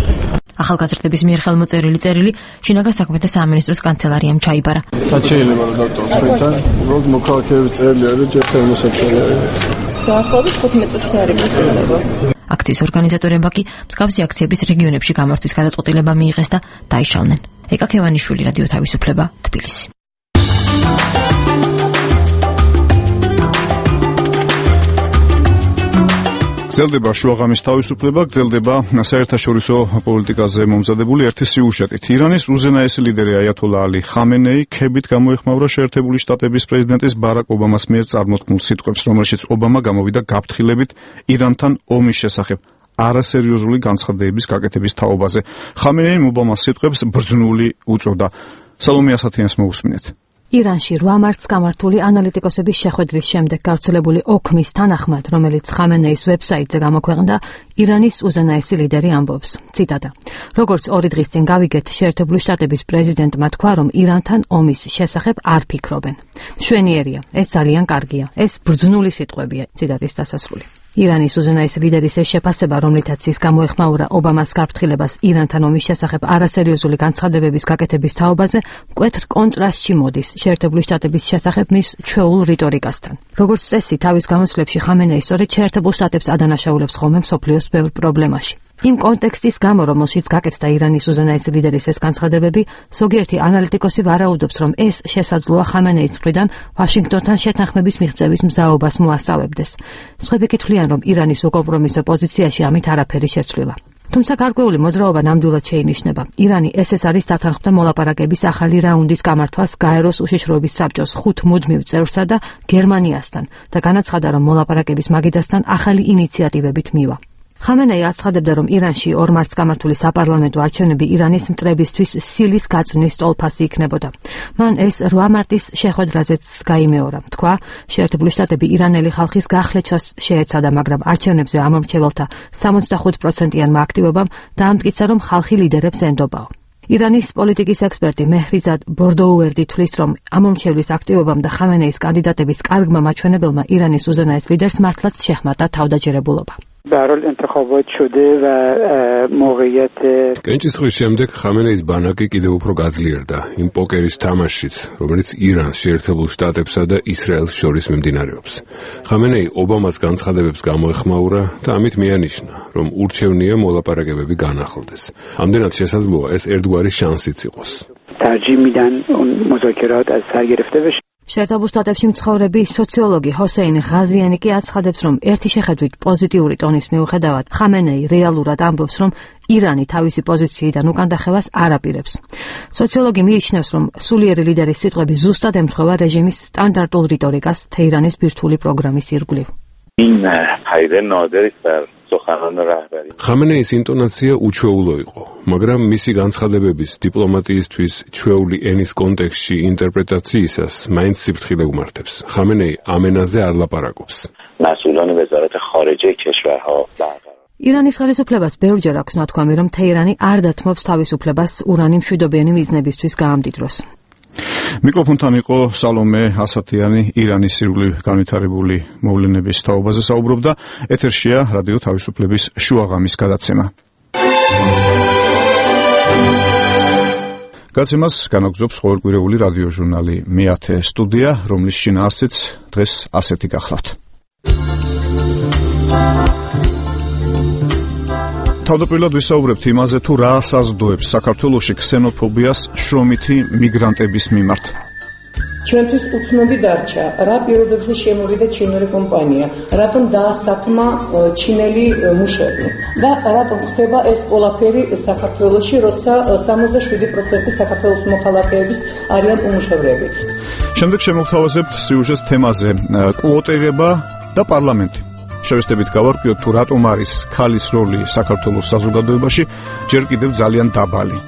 ახალგაზრდების მიერ ხელმოწერილი წერილი შინაგან საქმეთა სამინისტროს კანცელარიამ ჩაიბარა. საჩეილება რომ დავტოვოთ თქვენთან, უბრალოდ მოქალაქეების წერილი არის, ჯერთან მოსაწერი არის. დაახლოებით 15 წუთში არის მოწოდება. აქციის ორგანიზატორებმა კი მსგავსი აქციების რეგიონებში გამართვის გადაწყვეტილება მიიღეს და დაიშალნენ. ეკა ქევანიშვილი, რადიო თავისუფლება, თბილისი. გრძელდება შუაღამის თავისუფლება, გრძელდება საერთაშორისო პოლიტიკაზე მომზადებული ერთი სიუჟეტით. ირანის უზენაესი ლიდერი აიათოლა ალი ხამენეი ქებით გამოეხმაურა შეერთებული შტატების პრეზიდენტის ბარაკ ობამას მიერ წარმოთქმულ სიტყვებს, რომელშიც ობამა გამოვიდა გაფრთხილებით ირანთან ომის შესახებ არასერიოზული განცხადებების გაკეთების თაობაზე. ხამენეიმ ობამას სიტყვებს ბრძნული უწოდა. სალომე ასათიანს მოусმინეთ. ირანში 8 მარტს გამართული ანალიტიკოსების შეხვედრის შემდეგ გავრცელებული ოქმის თანახმად, რომელიც ხამენეის ვებსაიტზე გამოქვეყნდა, ირანის უზენაესი ლიდერი ამბობს. ციტატა: როგორც 2 დღის წინ გავიგეთ, შეერთებული შტატების პრეზიდენტმა თქვა, რომ ირანთან ომის შესახებ არ ფიქრობენ. მშვენიერია, ეს ძალიან კარგია, ეს ბრძნული სიტყვებია. ციტატის დასასრული. ირანის უზენაესი ლიდერის ეს შეფასება, რომლითაც ის გამოეხმაურა ობამას გაფრთხილებას ირანთან ომის შესახებ არასერიოზული განცხადებების გაკეთების თაობაზე, მკვეთრ კონტრასტში მოდის შეერთებული შტატების შესახებ მის ჩვეულ რიტორიკასთან. როგორც წესი, თავის გამოსვლებში ხამენეი სწორედ შეერთებულ შტატებს ადანაშაულებს ხოლმე მსოფლიოს ბევრ პრობლემაში. იმ კონტექსტის გამო, რომელშიც გაკეთდა ირანის უზენაესი ლიდერის ეს განცხადებები, ზოგიერთი ანალიტიკოსი ვარაუდობს, რომ ეს შესაძლოა ხამენეის მხრიდან ვაშინგტონთან შეთანხმების მიღწევის მზაობას მოასწავებდეს. სხვები კითხულიან, რომ ირანის უკომპრომისო პოზიციაში ამით არაფერი შეცვლილა. თუმცა გარკვეული მოძრაობა ნამდვილად შეინიშნება. ირანი ეს არის დათანხმდა მოლაპარაკების ახალი რაუნდის გამართვას გაეროს უშიშროების საბჭოს 5 მუდმივ წევრსა და გერმანიასთან და განაცხადა, რომ მოლაპარაკების მაგიდასთან ახალი ინიციატივებით მივა. ხამენეი აცხადებდა, რომ ირანში 2 მარტს გამართული საპარლამენტო არჩევნები ირანის მტრებისთვის სილის გაწმის ტოლფასი იქნებოდა. მან ეს 8 მარტის შეხვედრაზეც გაიმეორა. თქვა, შეერთებული შტატები ირანელი ხალხის გახლეჩას შეეცადა, მაგრამ არჩევნებზე ამომრჩეველთა 75%-იანმა აქტივობამ დაამტკიცა, რომ ხალხი ლიდერებს ენდობაო. ირანის პოლიტიკის ექსპერტი მეჰრიზად ბორდოუერდი თვლის, რომ ამომრჩევლის აქტივობამ და ხამენეის კანდიდატების კარგმა მაჩვენებელმა ირანის უზენაეს ლიდერს მართლაც შეჰმატა თავდაჯერებულობა. برحال انتخابات شده و موقعیت კენჭისყრის შემდეგ ხამენეის ბანაკი კიდევ უფრო გაძლიერდა იმ პოკერის თამაშშიც, რომელიც ირანს, შეერთებულ შტატებსა და ისრაელს შორის მიმდინარეობს. ხამენეი ობამას განცხადებებს გამოეხმაურა და ამით მიანიშნა, რომ ურჩევნია მოლაპარაკებები განახლდეს. ამდენად შესაძლოა ეს ერთგვარი შანსიც იყოს. ترجیح میدن اون مذاکرات از سر گرفته بشه. შეერთებულ შტატებში მცხოვრები სოციოლოგი ჰოსეინ ღაზიანი კი აცხადებს, რომ ერთი შეხედვით პოზიტიური ტონის მიუხედავად, ხამენეი რეალურად ამბობს, რომ ირანი თავისი პოზიციიდან უკანდახევას არ აპირებს. სოციოლოგი მიიჩნევს, რომ სულიერი ლიდერის სიტყვები ზუსტად ემთხვევა რეჟიმის სტანდარტულ რიტორიკას თეირანის ბირთვული პროგრამის ირგვლივ. ხამენეის ინტონაცია უჩვეულო იყო, მაგრამ მისი განცხადებების დიპლომატიისთვის ჩვეული ენის კონტექსტში ინტერპრეტაციისას მაინც სიფრთხილე უმართებს. ხამენეი ამ ენაზე არ ლაპარაკობს. ირანის ხელისუფლებას ბევრჯერ აქვს ნათქვამი, რომ თეირანი არ დათმობს თავისუფლებას ურანი მშვიდობიანი მიზნებისთვის გაამდიდროს. მიკროფონთან იყო სალომე ასათიანი, ირანის ირგვლივ განვითარებული მოვლენების თაობაზე საუბრობდა. ეთერშია რადიო თავისუფლების შუაღამის გადაცემა. გადაცემას განაგრძობს ყოველკვირეული რადიო ჟურნალი მე-10 სტუდია, რომლის შინაარსიც დღეს ასეთი გახლავთ. თავდაპირველად ვისაუბრებთ იმაზე, თუ რა საზრდოებს საქართველოში ქსენოფობიას შრომითი მიგრანტების მიმართ. ჩვენთვის უცნობი დარჩა, რა პირობებზე შემოვიდა ჩინური კომპანია, რატომ დაასათმა ჩინელი მუშები და რატომ ხდება ეს ყველაფერი საქართველოში, როცა 67% საქართველოს მოქალაქეების არიან უმუშევრები. შემდეგ შემოგთავაზებთ სიუჟეტს თემაზე კვოტირება და პარლამენტი. შევესწრებით გავარკვიოთ, თუ რატომ არის ქალის როლი საქართველოს საზოგადოებაში ჯერ კიდევ ძალიან დაბალი.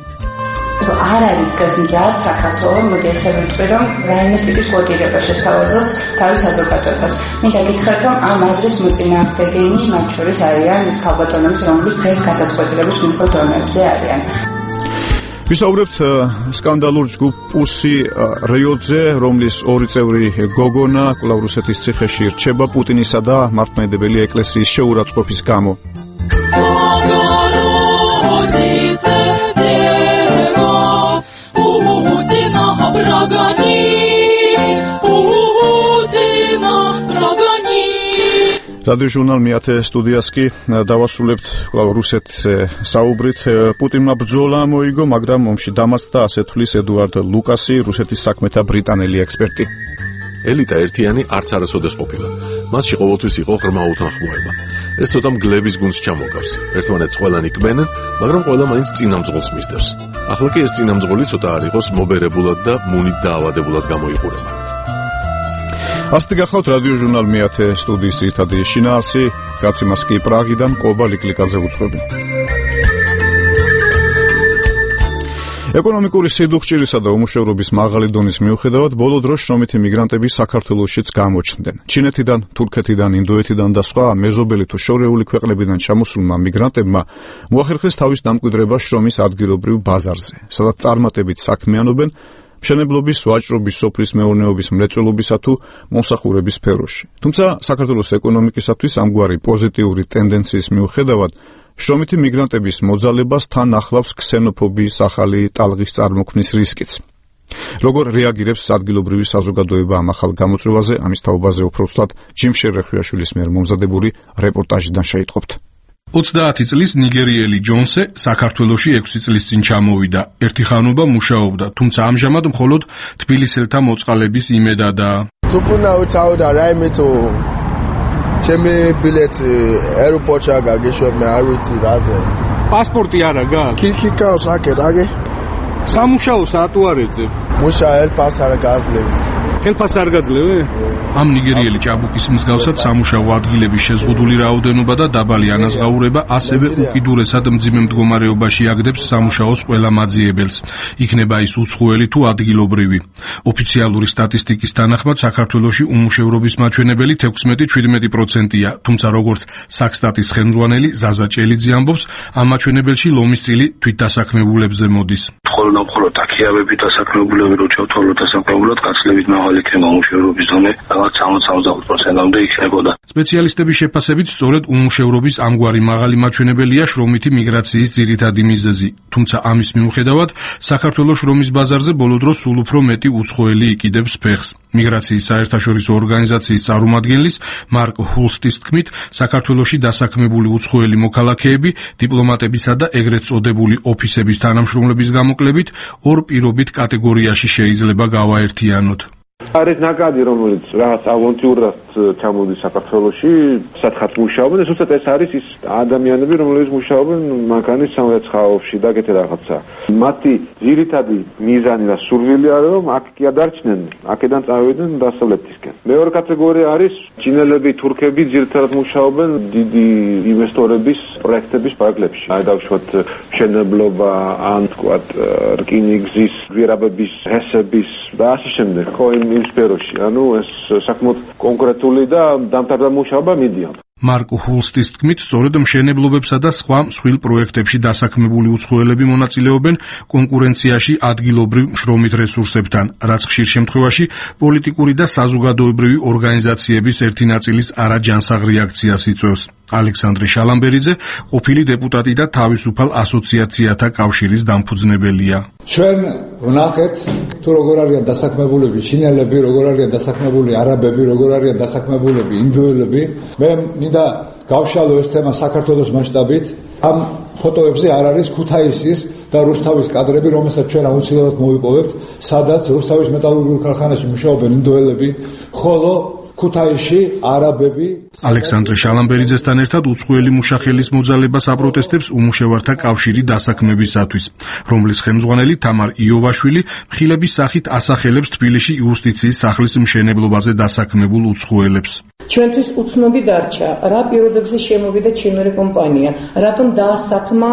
არ არის გაზიარდ საქართველოს მოდესებები, რომ რაიმე ტიპის კვოტირება შესთავაზოს თავის საზოგადოებას. მინდა გითხრათ, რომ ამ აზრის მოწინააღმდეგენი მათ შორის არიან ის ქალბატონები, რომლებიც დღეს გადაწყვეტილების მიღწევა დონეზე არიან. ვისაუბრებთ სკანდალურ ჯგუფ პუსი რიოდზე, რომლის 2 წევრი გოგონა კვლავ რუსეთის ციხეში რჩება პუტინისა და მართლმადიდებელი ეკლესიის შეურაცხყოფის გამო. რადიო ჟურნალ მეათე სტუდიას კი დავასრულებთ რუსეთზე საუბრით. პუტინმა ბრძოლა მოიგო, მაგრამ ომში დამარცხდა, ასე თვლის ედუარდ ლუკასი, რუსეთის საქმეთა ბრიტანელი ექსპერტი. ელიტა ერთიანი არც არასოდეს ყოფილა. მასში ყოველთვის იყო ღრმა უთანხმოება. ეს ცოტა მგლების გუნდს ჩამოგავს. ერთმანეთს ყველანი კბენენ, მაგრამ ყველა მაინც წინამძღოლს მისდევს. ახლა კი ეს წინამძღოლი ცოტა არ იყოს მობერებულად და მუნით დაავადებულად გამოიყურება. ასეთი გახავთ რადიო ჟურნალ მეათე სტუდიის ძირითადი შინაარსი, გაცემას კი პრაღიდან ყობა ლიკლიკაძე უძღვები. ეკონომიკური სიდუხჭირისა და უმუშევრობის მაღალი დონის მიუხედავად, ბოლო დროს შრომითი მიგრანტები საქართველოშიც გამოჩნდნენ. ჩინეთიდან, თურქეთიდან, ინდოეთიდან და სხვა მეზობელი თუ შორეული ქვეყნებიდან ჩამოსულმა მიგრანტებმა მოახერხეს თავის დამკვიდრება შრომის ადგილობრივ ბაზარზე, სადაც წარმატებით საქმიანობენ მშენებლობის, ვაჭრობის, სოფლის მეურნეობის, მრეწველობისა თუ მომსახურების სფეროში. თუმცა საქართველოს ეკონომიკისათვის ამგვარი პოზიტიური ტენდენციის მიუხედავად, შრომითი მიგრანტების მოძალებას თან ახლავს ქსენოფობიის ახალი ტალღის წარმოქმნის რისკიც. როგორ რეაგირებს ადგილობრივი საზოგადოება ამ ახალ გამოწვევაზე, ამის თაობაზე უფრო ვსვათ ჯიმ შერეხვიაშვილის მიერ მომზადებული რეპორტაჟიდან შეიტყობთ. 30 წლის ნიგერიელი ჯონსე საქართველოში 6 წლის წინ ჩამოვიდა. ერთი ხანობა მუშაობდა, თუმცა ამჟამად მხოლოდ თბილისელთა მოწყალების იმედადაა. თუკუნაუცაუდა რაიმე თუ ჩემი ბილეთი აეროპორტში გაგეშვებმე არ ვიცი რაზე. პასპორტი არა გაქვს? კიკიკავს აკე რაგე? სამუშაო საათუ არ ეძებ. მუშა ელფას არ გაძლევს. ხელფას არ გაძლევე? ამ ნიგერიელი ჭაბუკის მსგავსად სამუშაო ადგილების შეზღუდული რაოდენობა და დაბალი ანაზღაურება ასევე უკიდურესად მძიმე მდგომარეობაში აგდებს სამუშაოს ყველა მაძიებელს. იქნება ის უცხოელი თუ ადგილობრივი. ოფიციალური სტატისტიკის თანახმად საქართველოში უმუშევრობის მაჩვენებელი 16-17%-ია, თუმცა როგორც საქსტატის ხელმძღვანელი ზაზა ჭელიძე ამბობს, ამ მაჩვენებელში ლომის წილი თვითდასაქმებულებზე მოდის. მხოლოდ აქიავებით დასაქმებულები რო ჩავთვალოთ დასაქმებულად გაცლებით მაღალი იქნება უმუშევრობის დონე, რაღაც 60-65%-მდე იქნებოდა. სპეციალისტების შეფასებით, სწორედ უმუშევრობის ამგვარი მაღალი მაჩვენებელია შრომითი მიგრაციის ძირითადი მიზეზი. თუმცა ამის მიუხედავად, საქართველოს შრომის ბაზარზე ბოლო დროს სულ უფრო მეტი უცხოელი იკიდებს ფეხს. მიგრაციის საერთაშორისო ორგანიზაციის წარმომადგენლის მარკ ჰულსტის თქმით, საქართველოში დასაქმებული უცხოელი მოქალაქეები დიპლომატებისა და ეგრეთ წოდებული ოფისების თანამშრომლების გამოკლებით ორ პირობით კატეგორიაში შეიძლება გავაერთიანოთ. არის ნაკადი, რომელიც რაღაც ავონტიურად ჩამოდის საქართველოში, სათხაც მუშაობენ, ზუსტად ეს არის ის ადამიანები, რომლებიც მუშაობენ მანქანის სამრეცხაოში და ეგეთი რაღაცა. მათი ძირითადი მიზანი და სურვილი არის, რომ აქ კი ადარჩნენ, აქედან წავიდნენ დასავლეთისკენ. მეორე კატეგორია არის ჩინელები, თურქები, ძირითადად მუშაობენ დიდი ინვესტორების პროექტების პარკლებში. აი დავუშვათ მშენებლობა, ან თქვათ რკინიგზის, გვირაბების, ჰესების და ასე შემდეგ. ხო იმ სფეროში, ანუ ეს საკმაოდ კონკრეტული და დამტარდა მუშაობა მიდიან. მარკ ჰულსტის თქმით, სწორედ მშენებლობებსა და სხვა მსხვილ პროექტებში დასაქმებული უცხოელები მონაწილეობენ კონკურენციაში ადგილობრივ შრომით რესურსებთან, რაც ხშირ შემთხვევაში პოლიტიკური და საზოგადოებრივი ორგანიზაციების ერთი ნაწილის არაჯანსაღ რეაქციას იწვევს. ალექსანდრე შალამბერიძე, ყოფილი დეპუტატი და თავისუფალ ასოციაციათა კავშირის დამფუძნებელია. ჩვენ ვნახეთ, თუ როგორ არიან დასაქმებულები ჩინელები, როგორ არიან დასაქმებული არაბები, როგორ არიან დასაქმებულები ინდოელები. მე მინდა გავშალო ეს თემა საქართველოს მასშტაბით. ამ ფოტოებზე არ არის ქუთაისის და რუსთავის კადრები, რომელსაც ჩვენ აუცილებლად მოვიპოვებთ, სადაც რუსთავის მეტალურგიულ ქარხანაში მუშაობენ ინდოელები, ხოლო ქუთაისში არაბები. ალექსანდრე შალამბერიძესთან ერთად უცხოელი მუშახელის მოძალებას აპროტესტებს უმუშევართა კავშირი დასაქმებისათვის, რომლის ხელმძღვანელი თამარ იოვაშვილი მხილების სახით ასახელებს თბილისში იუსტიციის სახლის მშენებლობაზე დასაქმებულ უცხოელებს. ჩვენთვის უცნობი დარჩა, რა პირობებზე შემოვიდა ჩინური კომპანია, რატომ დაასაქმა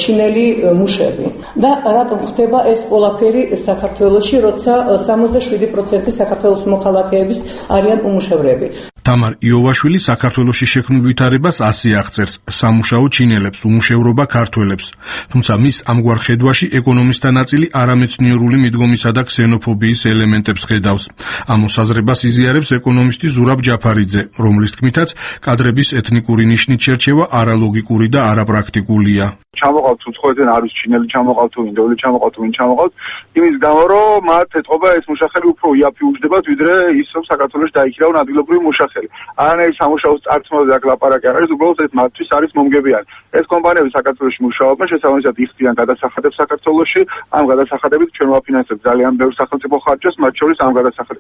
ჩინელი მუშები და რატომ ხდება ეს ყველაფერი საქართველოში, როცა 67% საქართველოს მოქალაქეების არიან უმუშევრები. თამარ იოვაშვილი საქართველოში შექმნილ ვითარებას ასე აღწერს: სამუშაო ჩინელებს, უმუშევრობა ქართველებს. თუმცა მის ამგვარ ხედვაში ეკონომისტთა ნაწილი არამეცნიერული მიდგომისა და ქსენოფობიის ელემენტებს ხედავს. ამ მოსაზრებას იზიარებს ეკონომისტი ზურაბ ჯაფარიძე, რომლის თქმითაც კადრების ეთნიკური ნიშნით შერჩევა არალოგიკური და არაპრაქტიკულია. ჩამოყავთ უცხოეთიდან არის ჩინელი ჩამოყავთ თუ ინდოელი ჩამოყავთ თუ ვინ ჩამოყავთ იმის გამო რომ მათ ეთყობა ეს მუშახელი უფრო იაფი უჯდებათ ვიდრე ის რომ საქართველოს დაიქირავენ ადგილობრივი მუშახელი განაცხელი. არანაირი სამუშაოს წარსულზე აქ ლაპარაკი არ არის, უბრალოდ ეს მათთვის არის მომგებიანი. ეს კომპანიები საქართველოში მუშაობენ, შესაბამისად იხდიან გადასახადებს საქართველოში, ამ გადასახადებით ჩვენ ვაფინანსებთ ძალიან ბევრ სახელმწიფო ხარჯებს, მათ შორის ამ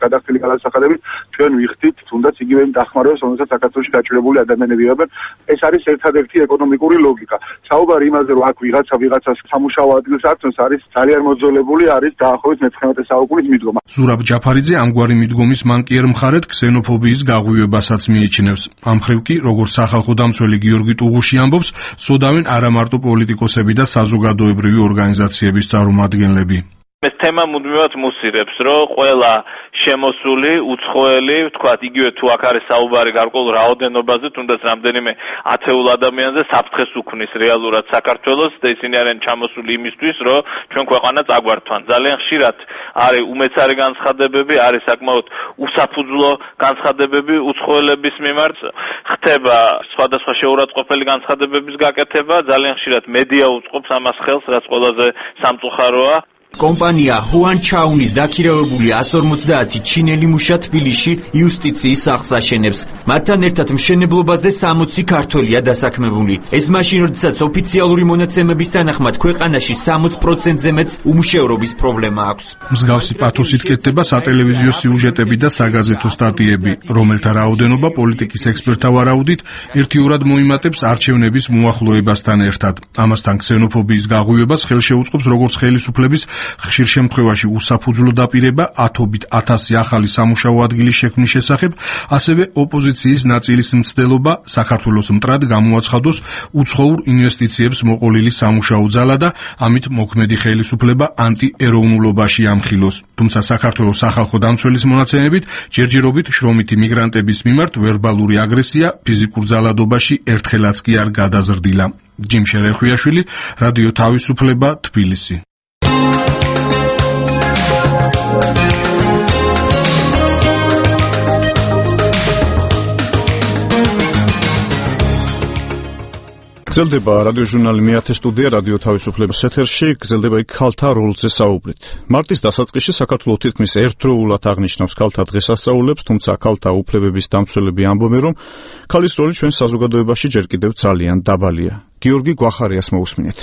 გადახდილი გადასახადებით ჩვენ ვიხდით თუნდაც იგივე დახმარებას, რომელსაც საქართველოში გაჭირებული ადამიანები იღებენ. ეს არის ერთადერთი ეკონომიკური ლოგიკა. საუბარი იმაზე, რომ აქ ვიღაცას სამუშაო ადგილს ართმევს, არის ძალიან მოძოლებული, არის დაახლოებით მე-19 საუკუნის მიდგომა. ზურაბ ჯაფარიძე ამგვარი მიდგომის მანკიერ მხარეთ ქსენოფობიის გაღვივებასაც მიიჩნევს. ამ მხრივ კი, როგორც სახალხო დამცველი გიორგი ტუღუში ამბობს, სოდავენ არა მარტო პოლიტიკოსები და საზოგადოებრივი ორგანიზაციების წარმომადგენლები. ეს თემა მუდმივად მუსირებს, რომ ყველა შემოსული, უცხოელი, ვთქვათ, იგივე თუ აქ არის საუბარი გარკვეულ რაოდენობაზე, თუნდაც რამდენიმე ათეულ ადამიანზე საფრთხეს უქმნის რეალურად საქართველოს და ისინი არიან ჩამოსული იმისთვის, რომ ჩვენ ქვეყანა წაგვართვან. ძალიან ხშირად არის უმეცარი განცხადებები, არის საკმაოდ უსაფუძვლო განცხადებები უცხოელების მიმართ, ხდება სხვადასხვა შეურაცხყოფელი განცხადებების გაკეთება, ძალიან ხშირად მედია უწყობს ამას ხელს, რაც ყველაზე სამწუხაროა. კომპანია ჰუან ჩაუნის დაქირავებული 150 ჩინელი მუშა თბილისში იუსტიციის სახლს აშენებს. მათთან ერთად მშენებლობაზე 60 ქართველია დასაქმებული. ეს მაშინ, როდესაც ოფიციალური მონაცემების თანახმად ქვეყანაში 60%-ზე მეტ უმუშევრობის პრობლემა აქვს. მსგავსი პათოსით კეთდება სატელევიზიო სიუჟეტები და საგაზეთო სტატიები, რომელთა რაოდენობა პოლიტიკის ექსპერტთა ვარაუდით ერთიურად მოიმატებს არჩევნების მოახლოებასთან ერთად. ამასთან ქსენოფობიის გაღვივებას ხელშეუწყობს როგორც ხელისუფლების ხშირ შემთხვევაში უსაფუძვლო დაპირება ათობით 1000 ახალი სამუშაო ადგილის შექმნის შესახებ, ასევე ოპოზიციის ნაწილის მცდელობა საქართველოს მტრად გამოაცხადოს უცხოურ ინვესტიციებს მოყოლილი სამუშაო ძალა და ამით მოქმედი ხელისუფლება ანტიეროვნულობაში ამხილოს. თუმცა საქართველოს სახალხო დამცველის მონაცემებით ჯერჯერობით შრომითი მიგრანტების მიმართ ვერბალური აგრესია ფიზიკურ ძალადობაში ერთხელაც კი არ გადაზრდილა. ჯიმ შერეხვიაშვილი, რადიო თავისუფლება, თბილისი. გრძელდება რადიოჟურნალი მეათე სტუდია რადიო თავისუფლების ეთერში, გრძელდება იქ ქალთა როლზე საუბრით. მარტის დასაწყისში საქართველოს თითქმის ერთდროულად აღნიშნავს ქალთა დღესასწაულებს, თუმცა ქალთა უფლებების დამცველები ამბობენ, რომ ქალის როლი ჩვენ საზოგადოებაში ჯერ კიდევ ძალიან დაბალია. გიორგი გვახარიას მოусმინეთ.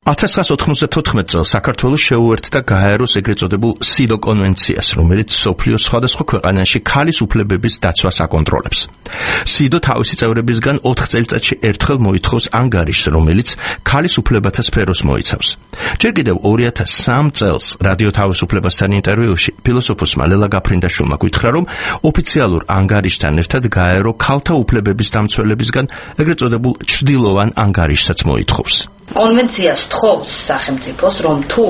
1994 წელს საქართველოს შეუერთდა გაეროს ეგრეთ წოდებულ სიდო კონვენციას, რომელიც სოფლიოს სხვადასხვა ქვეყანაში ქალის უფლებების დაცვას აკონტროლებს. სიდო თავისი წევრებისგან 4 წელიწადში ერთხელ მოითხოვს ანგარიშს, რომელიც ქალის უფლებათა სფეროს მოიცავს. ჯერ კიდევ 2003 წელს რადიო თავისუფლებასთან ინტერვიუში ფილოსოფოსმა ლელა გაფრინდაშვილმა გითხრა, რომ ოფიციალურ ანგარიშთან ერთად გაერო ქალთა უფლებების დამცველებისგან ეგრეთ წოდებულ ჩრდილოვან ანგარიშსაც მოითხოვს. კონვენციას თხოვს სახელმწიფოს, რომ თუ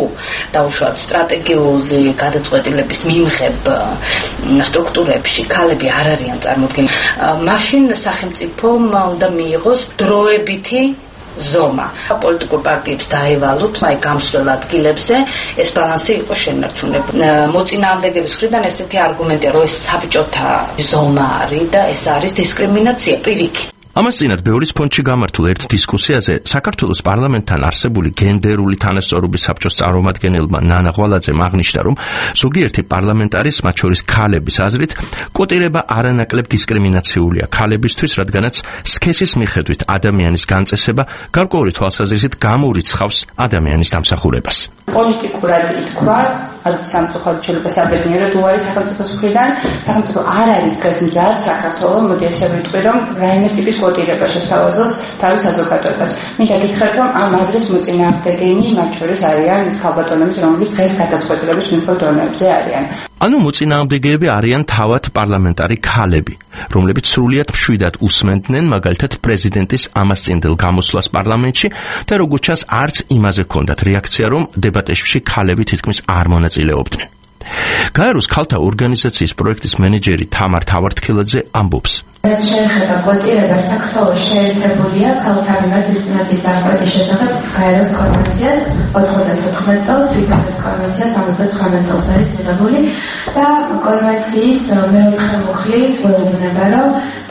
დაუშვათ სტრატეგიული გადაწყვეტილების მიმღებ სტრუქტურებში ქალები არ არიან წარმოდგენილი, მაშინ სახელმწიფომ უნდა მიიღოს დროებითი ზომა. პოლიტიკურ პარტიებს დაევალოთ აი გამსვლელ ადგილებზე, ეს ბალანსი იყოს შენარჩუნებული. მოწინააღმდეგების მხრიდან ესეთი არგუმენტია, რომ ეს საბჭოთა ზომა არის და ეს არის დისკრიმინაცია პირიქით. ამას წინათ ბევრის ფონდში გამართულ ერთ დისკუსიაზე საქართველოს პარლამენტთან არსებული გენდერული თანასწორობის საბჭოს წარმომადგენელმა ნანა ღვალაძემ აღნიშნა, რომ ზოგიერთი პარლამენტარის, მათ შორის ქალების აზრით, კოტირება არანაკლებ დისკრიმინაციულია ქალებისთვის, რადგანაც სქესის მიხედვით ადამიანის განწესება გარკვეული თვალსაზრისით გამოურიცხავს ადამიანის დამსახურებას. პოლიტიკურად ითქვა, სამწუხაროდ შეიძლება საბედნიეროდ უარი სახელმწიფოს მხრიდან, სახელმწიფო არ არის გასმზად საქართველოს, მოდი ესე ვიტყვი, რომ რაიმე ტიპის კოტირება შესთავაზოს თავის საზოგადოებას. მინდა გითხრათ, რომ ამ აზრის მოწინააღმდეგენი მათ შორის არიან ქალბატონები, რომლებიც დღეს გადაწყვეტილების მიხედვით დონეებზე არიან. ანუ მოწინააღმდეგეები არიან თავად პარლამენტარი ქალები, რომლებიც სრულიად მშვიდად უსმენდნენ მაგალითად პრეზიდენტის ამასწინდელ გამოსვლას პარლამენტში და როგორც ჩანს არც იმაზე ჰქონდათ რეაქცია, რომ დებატებში ქალები თითქმის არ მონაწილეობდნენ. გაეროს ქალთა ორგანიზაციის პროექტის მენეჯერი თამარ თავართქილაძე ამბობს. რაც შეეხება კოტირებას, საქართველოს შეერთებულია ქალთა მიმართ დისკრიმინაციის აღკვეთის შესახებ გაეროს კონვენციას 94 წელს, თვითონ კონვენციას 79 წელს არის მიღებული და კონვენციის მეოთხე მუხლი გვეუბნება, რომ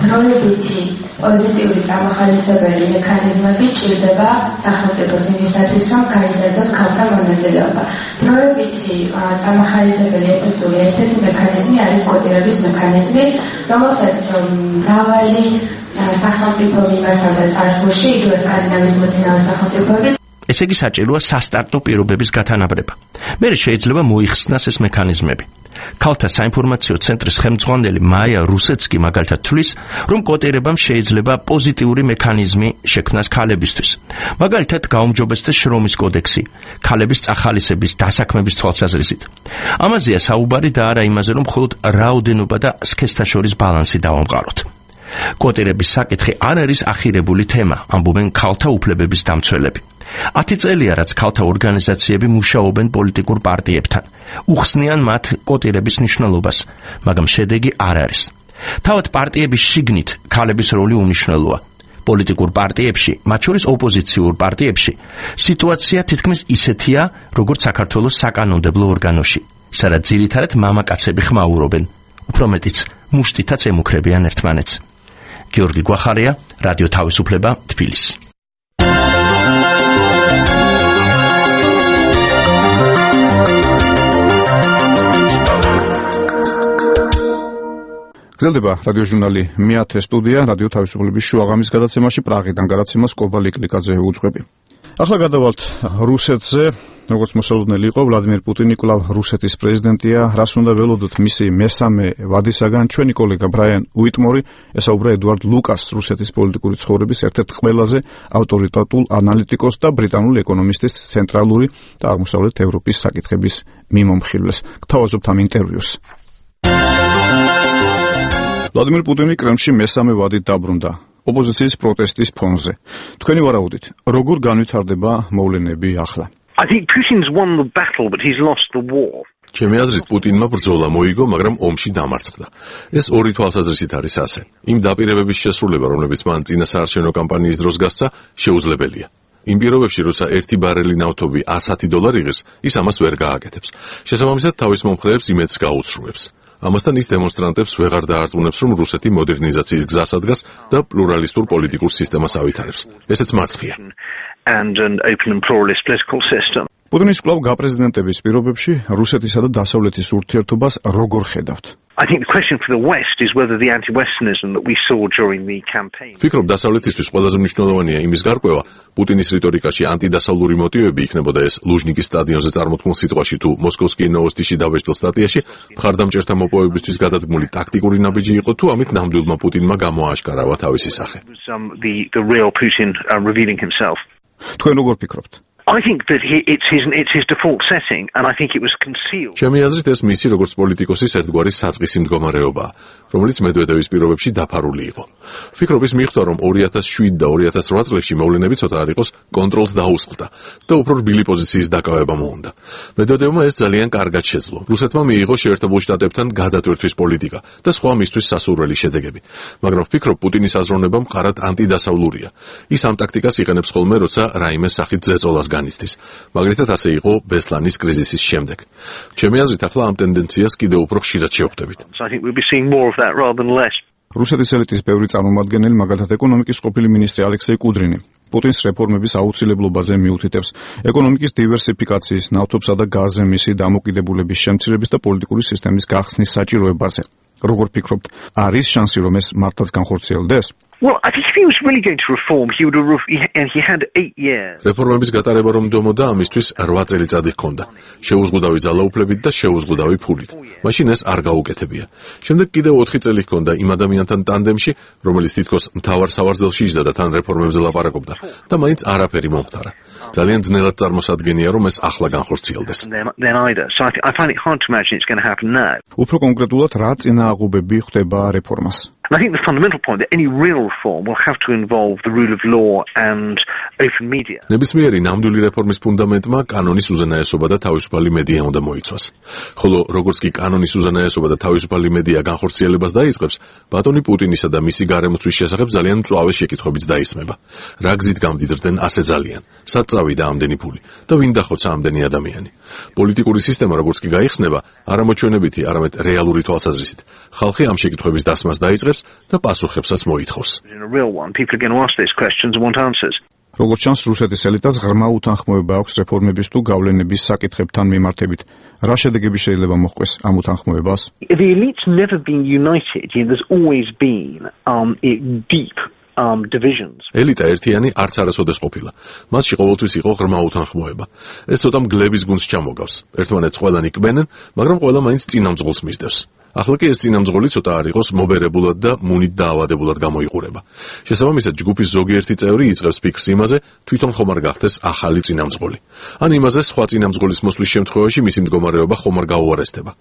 დროებითი პოზიტიური წამახალისებელი მექანიზმები ჭირდება სახელმწიფოს იმისათვის, რომ გაიზარდოს ქალთა მონაწილეობა. დროებითი წამახალისებელი შესაძლებელი ეფექტური ერთ-ერთი მექანიზმი არის კვოტირების მექანიზმი, რომელსაც მრავალი სახელმწიფო მიმართავდა წარსულში, იგივე სკანდინავიის მოწინავე სახელმწიფოები. ესე იგი საჭიროა სასტარტო პირობების გათანაბრება. მერე შეიძლება მოიხსნას ეს მექანიზმები. ქალთა საინფორმაციო ცენტრის ხელმძღვანელი მაია რუსეცკი მაგალითად თვლის, რომ კვოტირებამ შეიძლება პოზიტიური მექანიზმი შექმნას ქალებისთვის. მაგალითად, გაუმჯობესდეს შრომის კოდექსი, ქალების წახალისების დასაქმების თვალსაზრისით. ამაზეა საუბარი და არა იმაზე, რომ მხოლოდ რაოდენობა და სქესთა შორის ბალანსი დავამყაროთ. კვოტირების საკითხი არ არის ახირებული თემა, ამბობენ ქალთა უფლებების დამცველები. 10 წელია, რაც ქალთა ორგანიზაციები მუშაობენ პოლიტიკურ პარტიებთან, უხსნიან მათ კვოტირების მნიშვნელობას, მაგრამ შედეგი არ არის. თავად პარტიების შიგნით ქალების როლი უმნიშვნელოა. პოლიტიკურ პარტიებში, მათ შორის ოპოზიციურ პარტიებში, სიტუაცია თითქმის ისეთია, როგორც საქართველოს საკანონმდებლო ორგანოში, სადაც ძირითადად მამაკაცები ხმაურობენ, უფრო მეტიც მუშტითაც ემუქრებიან ერთმანეთს. გიორგი გვახარია, რადიო თავისუფლება, თბილისი. გრძელდება რადიოჟურნალი მე-10 სტუდია, რადიო თავისუფლების შუაღამის გადაცემაში პრაღიდან გადაცემას კობალი კლიკაძე უძღვები. ახლა გადავალთ რუსეთზე. როგორც მოსალოდნელი იყო, ვლადიმერ პუტინი კვლავ რუსეთის პრეზიდენტია. რას უნდა ველოდოთ მისი მესამე ვადისაგან? ჩვენი კოლეგა ბრაიან უიტმორი ესაუბრა ედუარდ ლუკას, რუსეთის პოლიტიკური ცხოვრების ერთ-ერთ ყველაზე ავტორიტეტულ ანალიტიკოსს და ბრიტანული ეკონომისტის ცენტრალური და აღმოსავლეთ ევროპის საკითხების მიმომხილველს. გთავაზობთ ამ ინტერვიუს. ვლადიმერ პუტინი კრემლში მესამე ვადით დაბრუნდა ოპოზიციის პროტესტის ფონზე. თქვენი ვარაუდით, როგორ განვითარდება მოვლენები ახლა? I think Putin's won the battle, but he's lost the war. ჩემი აზრით, პუტინმა ბრძოლა მოიგო, მაგრამ ომში დამარცხდა. ეს ორი თვალსაზრისით არის ასე. იმ დაპირებების შესრულება, რომლებიც მან წინა საარჩევნო კამპანიის დროს გასცა, შეუძლებელია. იმ პირობებში, როცა 1 ბარელი ნავთობი $100 იღებს, ის ამას ვერ გააკეთებს. შესაბამისად, თავის მომხრეებს იმედს გაუცრუებს. ამასთან ის დემონსტრანტებს ვეღარ დაარწმუნებს, რომ რუსეთი მოდერნიზაციის გზას ადგას და პლურალისტურ პოლიტიკურ სისტემას ავითარებს. ესეც მარცხია. And an open and pluralist political system. პუტინის კვლავ გაპრეზიდენტების პირობებში რუსეთისა და დასავლეთის ურთიერთობას როგორ ხედავთ? I think the question for the West is whether the anti-Westernism that we saw during the campaign. ვფიქრობ, დასავლეთისთვის ყველაზე მნიშვნელოვანია იმის გარკვევა, პუტინის რიტორიკაში ანტიდასავლური მოტივები იქნებოდა ეს ლუჟნიკის სტადიონზე წარმოთქმულ სიტყვაში თუ მოსკოვსკიე ნოვოსტიში დავეშტილ სტატიაში, მხარდამჭერთა მოპოვებისთვის გადადგმული ტაქტიკური ნაბიჯი იყო თუ ამით ნამდვილმა პუტინმა გამოააშკარავა თავისი სახე. The real Putin revealing himself. თქვენ როგორ ფიქრობთ? I think that it's his default setting, and I think it was concealed. ჩემი აზრით, ეს მისი როგორც პოლიტიკოსის ერთგვარი საწყისი მდგომარეობაა, რომელიც მედვედევის პირობებში დაფარული იყო. ვფიქრობ, ის მიხვდა, რომ 2007 და 2008 წლებში მოვლენები ცოტა არ იყოს კონტროლს დაუსხლდა და უფრო რბილი პოზიციის დაკავება მოუნდა. მედვედევმა ეს ძალიან კარგად შეძლო. რუსეთმა მიიღო შეერთებულ შტატებთან გადატვირთვის პოლიტიკა და სხვა მისთვის სასურველი შედეგები. მაგრამ ვფიქრობ, პუტინის აზროვნება მყარად ანტიდასავლურია. ის ამ ტაქტიკას იყენებს ხოლმე, როცა რაიმე სახით ზეწოლას განიცდის. მაგალითად ასე იყო ბესლანის კრიზისის შემდეგ. ჩემი აზრით, ახლა ამ ტენდენციას კიდევ უფრო ხშირად შევხვდებით. I think we'll be seeing more of that rather than less. რუსეთის ელიტის ბევრი წარმომადგენელი, მაგალითად ეკონომიკის ყოფილი მინისტრი ალექსეი კუდრინი, პუტინს რეფორმების აუცილებლობაზე მიუთითებს, ეკონომიკის დივერსიფიკაციის, ნავთობსა და გაზზე მისი დამოკიდებულების შემცირების და პოლიტიკური სისტემის გახსნის საჭიროებაზე. როგორ ფიქრობთ, არის შანსი, რომ ეს მართლაც განხორციელდეს? Well, I think if he was really going to reform, he would have he had 8 years. რეფორმების გატარება რომ დომოდა, ამისთვის 8 წელიწადი ჰქონდა. შეუზღუდავი ძალაუფლებით და შეუზღუდავი ფულით. მაშინ ეს არ გაუკეთებია. შემდეგ კიდევ 4 წელი ჰქონდა იმ ადამიანთან ტანდემში, რომელიც თითქოს მთავარ სავარძელში იჯდა და თან რეფორმებზე ლაპარაკობდა და მაინც არაფერი მომხდარა. ძალიან ძნელად წარმოსადგენია, რომ ეს ახლა განხორციელდეს. Then either. So I find it hard to imagine it's going to happen now. უფრო კონკრეტულად, რა წინააღმდეგობები ხდება რეფორმას? And I think the fundamental point that any real reform will have to involve the rule of law and open media. ნებისმიერი ნამდვილი რეფორმის ფუნდამენტმა კანონის უზენაესობა და თავისუფალი მედია უნდა მოიცვას. ხოლო როგორც კი კანონის უზენაესობა და თავისუფალი მედია განხორციელებას დაიწყებს, ბატონი პუტინისა და მისი გარემოცვის შესახებ ძალიან მწვავე შეკითხვებიც დაისმება. რა გზით გამდიდრდნენ ასე ძალიან? სად წავიდა ამდენი ფული და ვინ დახოცა ამდენი ადამიანი? პოლიტიკური სისტემა როგორც კი გაიხსნება, არამოჩვენებითი, არამედ რეალური თვალსაზრისით, ხალხი ამ შეკითხვების დასმას დაიწყებს და პასუხებსაც მოითხოვს. როგორც ჩანს, რუსეთის ელიტას ღრმა უთანხმოება აქვს რეფორმების თუ გავლენების საკითხებთან მიმართებით. რა შედეგები შეიძლება მოჰყვეს ამ უთანხმოებას? The elite's never been united. There's always been deep divisions. ელიტა ერთიანი არც არასოდეს ყოფილა. მასში ყოველთვის იყო ღრმა უთანხმოება. ეს ცოტა მგლების გუნდს ჩამოგავს. ერთმანეთს ყველანი კბენენ, მაგრამ ყველა მაინც წინამძღოლს მისდევს. ახლა კი ეს წინამძღოლი ცოტა არ იყოს მობერებულად და მუნით დაავადებულად გამოიყურება. შესაბამისად, ჯგუფის ზოგიერთი წევრი იწყებს ფიქრს იმაზე, თვითონ ხომ არ გახდეს ახალი წინამძღოლი. ან იმაზე, სხვა წინამძღოლის მოსვლის შემთხვევაში მისი მდგომარეობა ხომ არ გაუარესდება.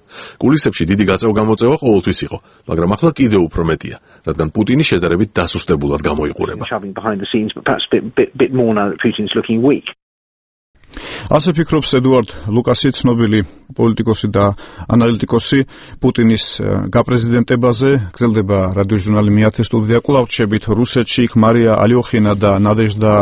კულისებში დიდი გაწევ-გამოწევა ყოველთვის იყო, მაგრამ ახლა კიდევ უფრო მეტია, რადგან პუტინი შედარებით დასუსტებულად გამოიყურება. ასე ფიქრობს ედუარდ ლუკასი, ცნობილი პოლიტიკოსი და ანალიტიკოსი პუტინის გაპრეზიდენტებაზე. გრძელდება რადიოჟურნალი მეათე სტუდია. კვლავ რჩებით რუსეთში, იქ მარია ალიოხინა და ნადეჟდა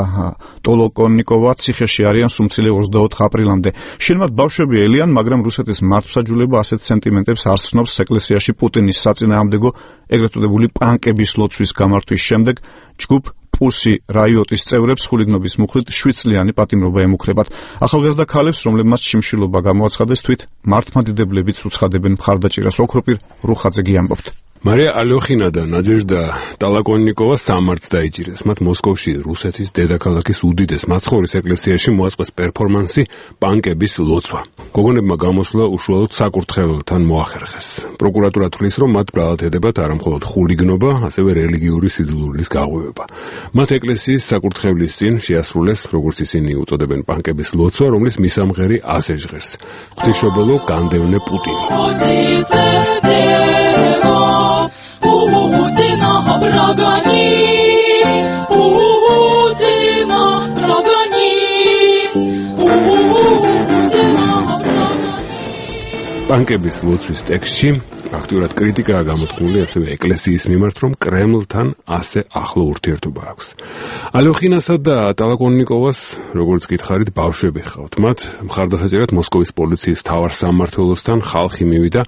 ტოლოკონიკოვა ციხეში არიან სუმცილე 24 აპრილამდე. შენმათ ბავშვები ელიან, მაგრამ რუსეთის მართლმსაჯულება ასეთ სენტიმენტებს არ ცნობს ეკლესიაში პუტინის საწინააღმდეგო ეგრეთ წოდებული პანკების ლოცვის გამართვის შემდეგ. ჯგუფ პუსი რაიოტის წევრებს ხულიგნობის მუხლით 7 წლიანი პატიმრობა ემუქრებათ. ახალგაზრდა ქალებს, რომლებმაც შიმშილობა გამოაცხადეს, თვით მართლმადიდებლებიც უცხადებენ მხარდაჭერას. ოქროპირ რუხაძეგი ამბობთ. მარია ალიოხინა და ნადეჟდა ტოლოკონიკოვა სამართს დაიჭირეს. მათ მოსკოვში რუსეთის დედაქალაქის უდიდეს მაცხოვრის ეკლესიაში მოაწყეს პერფორმანსი პანკების ლოცვა. გოგონებმა გამოსვლა უშუალოდ საკურთხეველთან მოახერხეს. პროკურატურა თვლის, რომ მათ ბრალად ედებათ არა მხოლოდ ხულიგნობა, ასევე რელიგიური სიძულვილის გაღვივება. მათ ეკლესიის საკურთხევლის წინ შეასრულეს, როგორც ისინი უწოდებენ, პანკების ლოცვა, რომლის მისამღერი ასე ჟღერს: ღვთისმშობელო, განდევნე პუტინი. პანკების ლოცვის ტექსტში აქტიურად კრიტიკაა გამოთქმული ასევე ეკლესიის მიმართ, რომ კრემლთან ასე ახლო ურთიერთობა აქვს. ალიოხინასა და ტოლოკონიკოვას, როგორც გითხარით, ბავშვები ჰყავთ. მათ მხარდასაჭერად მოსკოვის პოლიციის მთავარ სამმართველოსთან ხალხი მივიდა.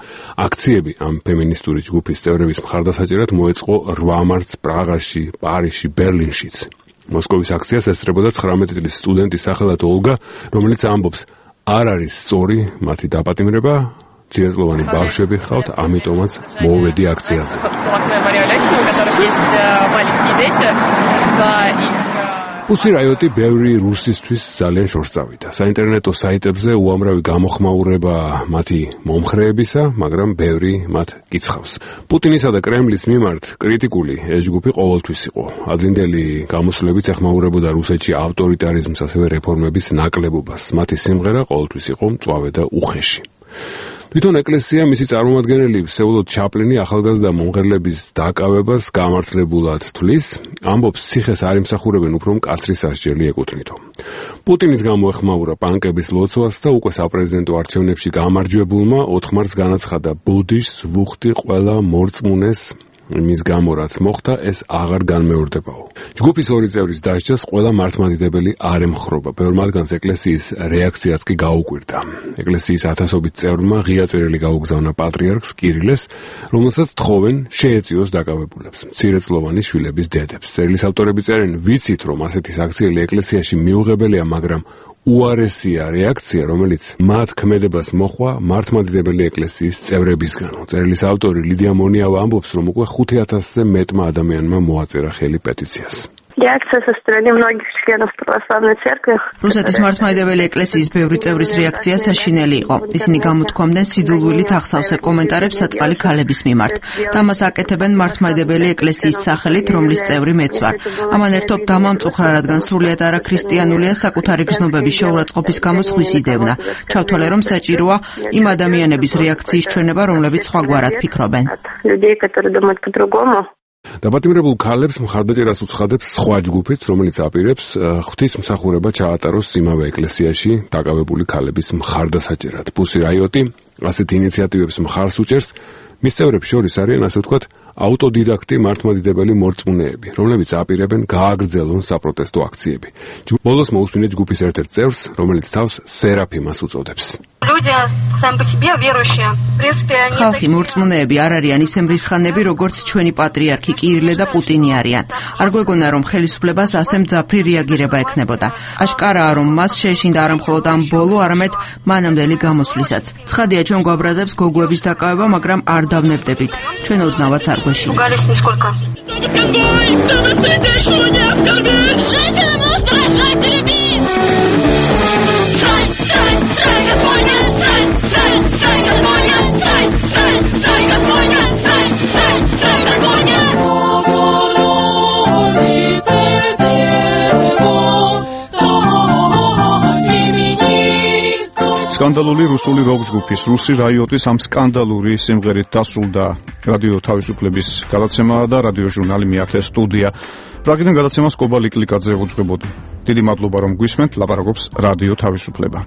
აქციები ამ ფემინისტური ჯგუფის წევრების მხარდასაჭერად მოეწყო 8 მარტს პრაღაში, პარიზში, ბერლინშიც. მოსკოვის აქციას ესწრებოდა 19 წლის სტუდენტი სახელად ოლგა, რომელიც ამბობს, არ არის სწორი მათი დაპატიმრება, ძირწლოვანი ბავშვები ხავთ, ამიტომაც მოვედი აქციაზე. პუსი რაიოტი ბევრი რუსისთვის ძალიან შორს წავიდა. საინტერნეტო საიტებზე უამრავი გამოხმაურება მათი მომხრეებისა, მაგრამ ბევრი მათ კიცხავს. პუტინისა და კრემლის მიმართ კრიტიკული ეს ჯგუფი ყოველთვის იყო. ადრინდელი გამოსვლებიც ეხმაურებოდა რუსეთში ავტორიტარიზმს, ასევე რეფორმების ნაკლებობას. მათი სიმღერა ყოველთვის იყო მწვავე და უხეში. თვითონ ეკლესია მისი წარმომადგენელი ვსეულოდ ჩაპლინი ახალგაზრდა მომღერლების დაკავებას გამართლებულად თვლის, ამბობს, ციხეს არ იმსახურებენ, უფრო მკაცრი სასჯელი ეკუთვნითო. პუტინის გამოეხმაურა პანკების ლოცვას და უკვე საპრეზიდენტო არჩევნებში გამარჯვებულმა 4 მარტს განაცხადა, ბოდიშს ვუხდი ყველა მორწმუნეს, იმის გამო რაც მოხდა, ეს აღარ განმეორდებაო. ჯგუფის ორი წევრის დასჯას ყველა მართლმადიდებელი არ ემხრობა. ბევრ მათგანს ეკლესიის რეაქციაც კი გაუკვირდა. ეკლესიის ათასობით წევრმა ღია წერილი გაუგზავნა პატრიარქს კირილეს, რომელსაც თხოვენ შეეწიოს დაკავებულებს, მცირეწლოვანი შვილების დედებს. წერილის ავტორები წერენ, ვიცით, რომ ასეთი საქციელი ეკლესიაში მიუღებელია, მაგრამ უარესია რეაქცია, რომელიც მათ ქმედებას მოხვა მართლმადიდებელი ეკლესიის წევრებისგანო. წერილის ავტორი ლიდია მონიავა ამბობს, რომ უკვე 5000-ზე მეტმა ადამიანმა მოაწერა ხელი პეტიციას. Реакция со стороны многих членов православной церкви. რუსეთის მართლმადიდებელი ეკლესიის ბევრი წევრის რეაქცია საშინელი იყო. ისინი გამოთქვამდნენ სიძულვილით ახსავსე კომენტარებს საწყალი ქალების მიმართ. და მას აკეთებენ მართლმადიდებელი ეკლესიის სახელით, რომლის წევრი მეც ვარ. ამან ერთობ დამამწუხრა, რადგან სრულიად არაქრისტიანულია საკუთარი გზნობების შეურაცხყოფის გამო სხვის იდევნა. ჩავთვალე, რომ საჭიროა იმ ადამიანების რეაქციის ჩვენება, რომლებიც სხვაგვარად ფიქრობენ. Людей, которые думают по-другому. დაპატიმრებულ ქალებს მხარდაჭერას უცხადებს სხვა ჯგუფიც, რომელიც აპირებს ღვთისმსახურება ჩაატაროს იმავე ეკლესიაში დაკავებული ქალების მხარდასაჭერად. პუსი რაიოტი ასეთ ინიციატივებს მხარს უჭერს. მის წევრებს შორის არიან, ასე ვთქვათ, ავტოდიდაქტი მართლმადიდებელი მორწმუნეები, რომლებიც აპირებენ გააგრძელონ საპროტესტო აქციები. ბოლოს მოусმინეთ ჯგუფის ერთ-ერთ წევრს, რომელიც თავს სერაფიმას უწოდებს. ხალხი მორწმუნეები არ არიან ისე მრისხანები, როგორც ჩვენი პატრიარქი კირილე და პუტინი არიან. არ გვეგონა, რომ ხელისუფლებას ასე მძაფრი რეაგირება ექნებოდა. აშკარაა, რომ მას შეეშინდა არა მხოლოდ ამ ბოლო, არამედ მანამდელი გამოსვლისაც. ცხადია, ჩვენ გვაბრაზებს გოგოების დაკავება, მაგრამ არ დავნებდებით. ჩვენ ოდნავაც არ გვეშინია. სკანდალური რუსული როკ ჯგუფის რუსი რაიოტის ამ სკანდალური სიმღერით დასრულდა რადიო თავისუფლების გადაცემა და რადიო ჟურნალი მეათე სტუდია. პრაგიდან გადაცემას კობა ლიკლიკაძე უძღვებოდი. დიდი მადლობა რომ გვისმენთ, ლაპარაკობს რადიო თავისუფლება.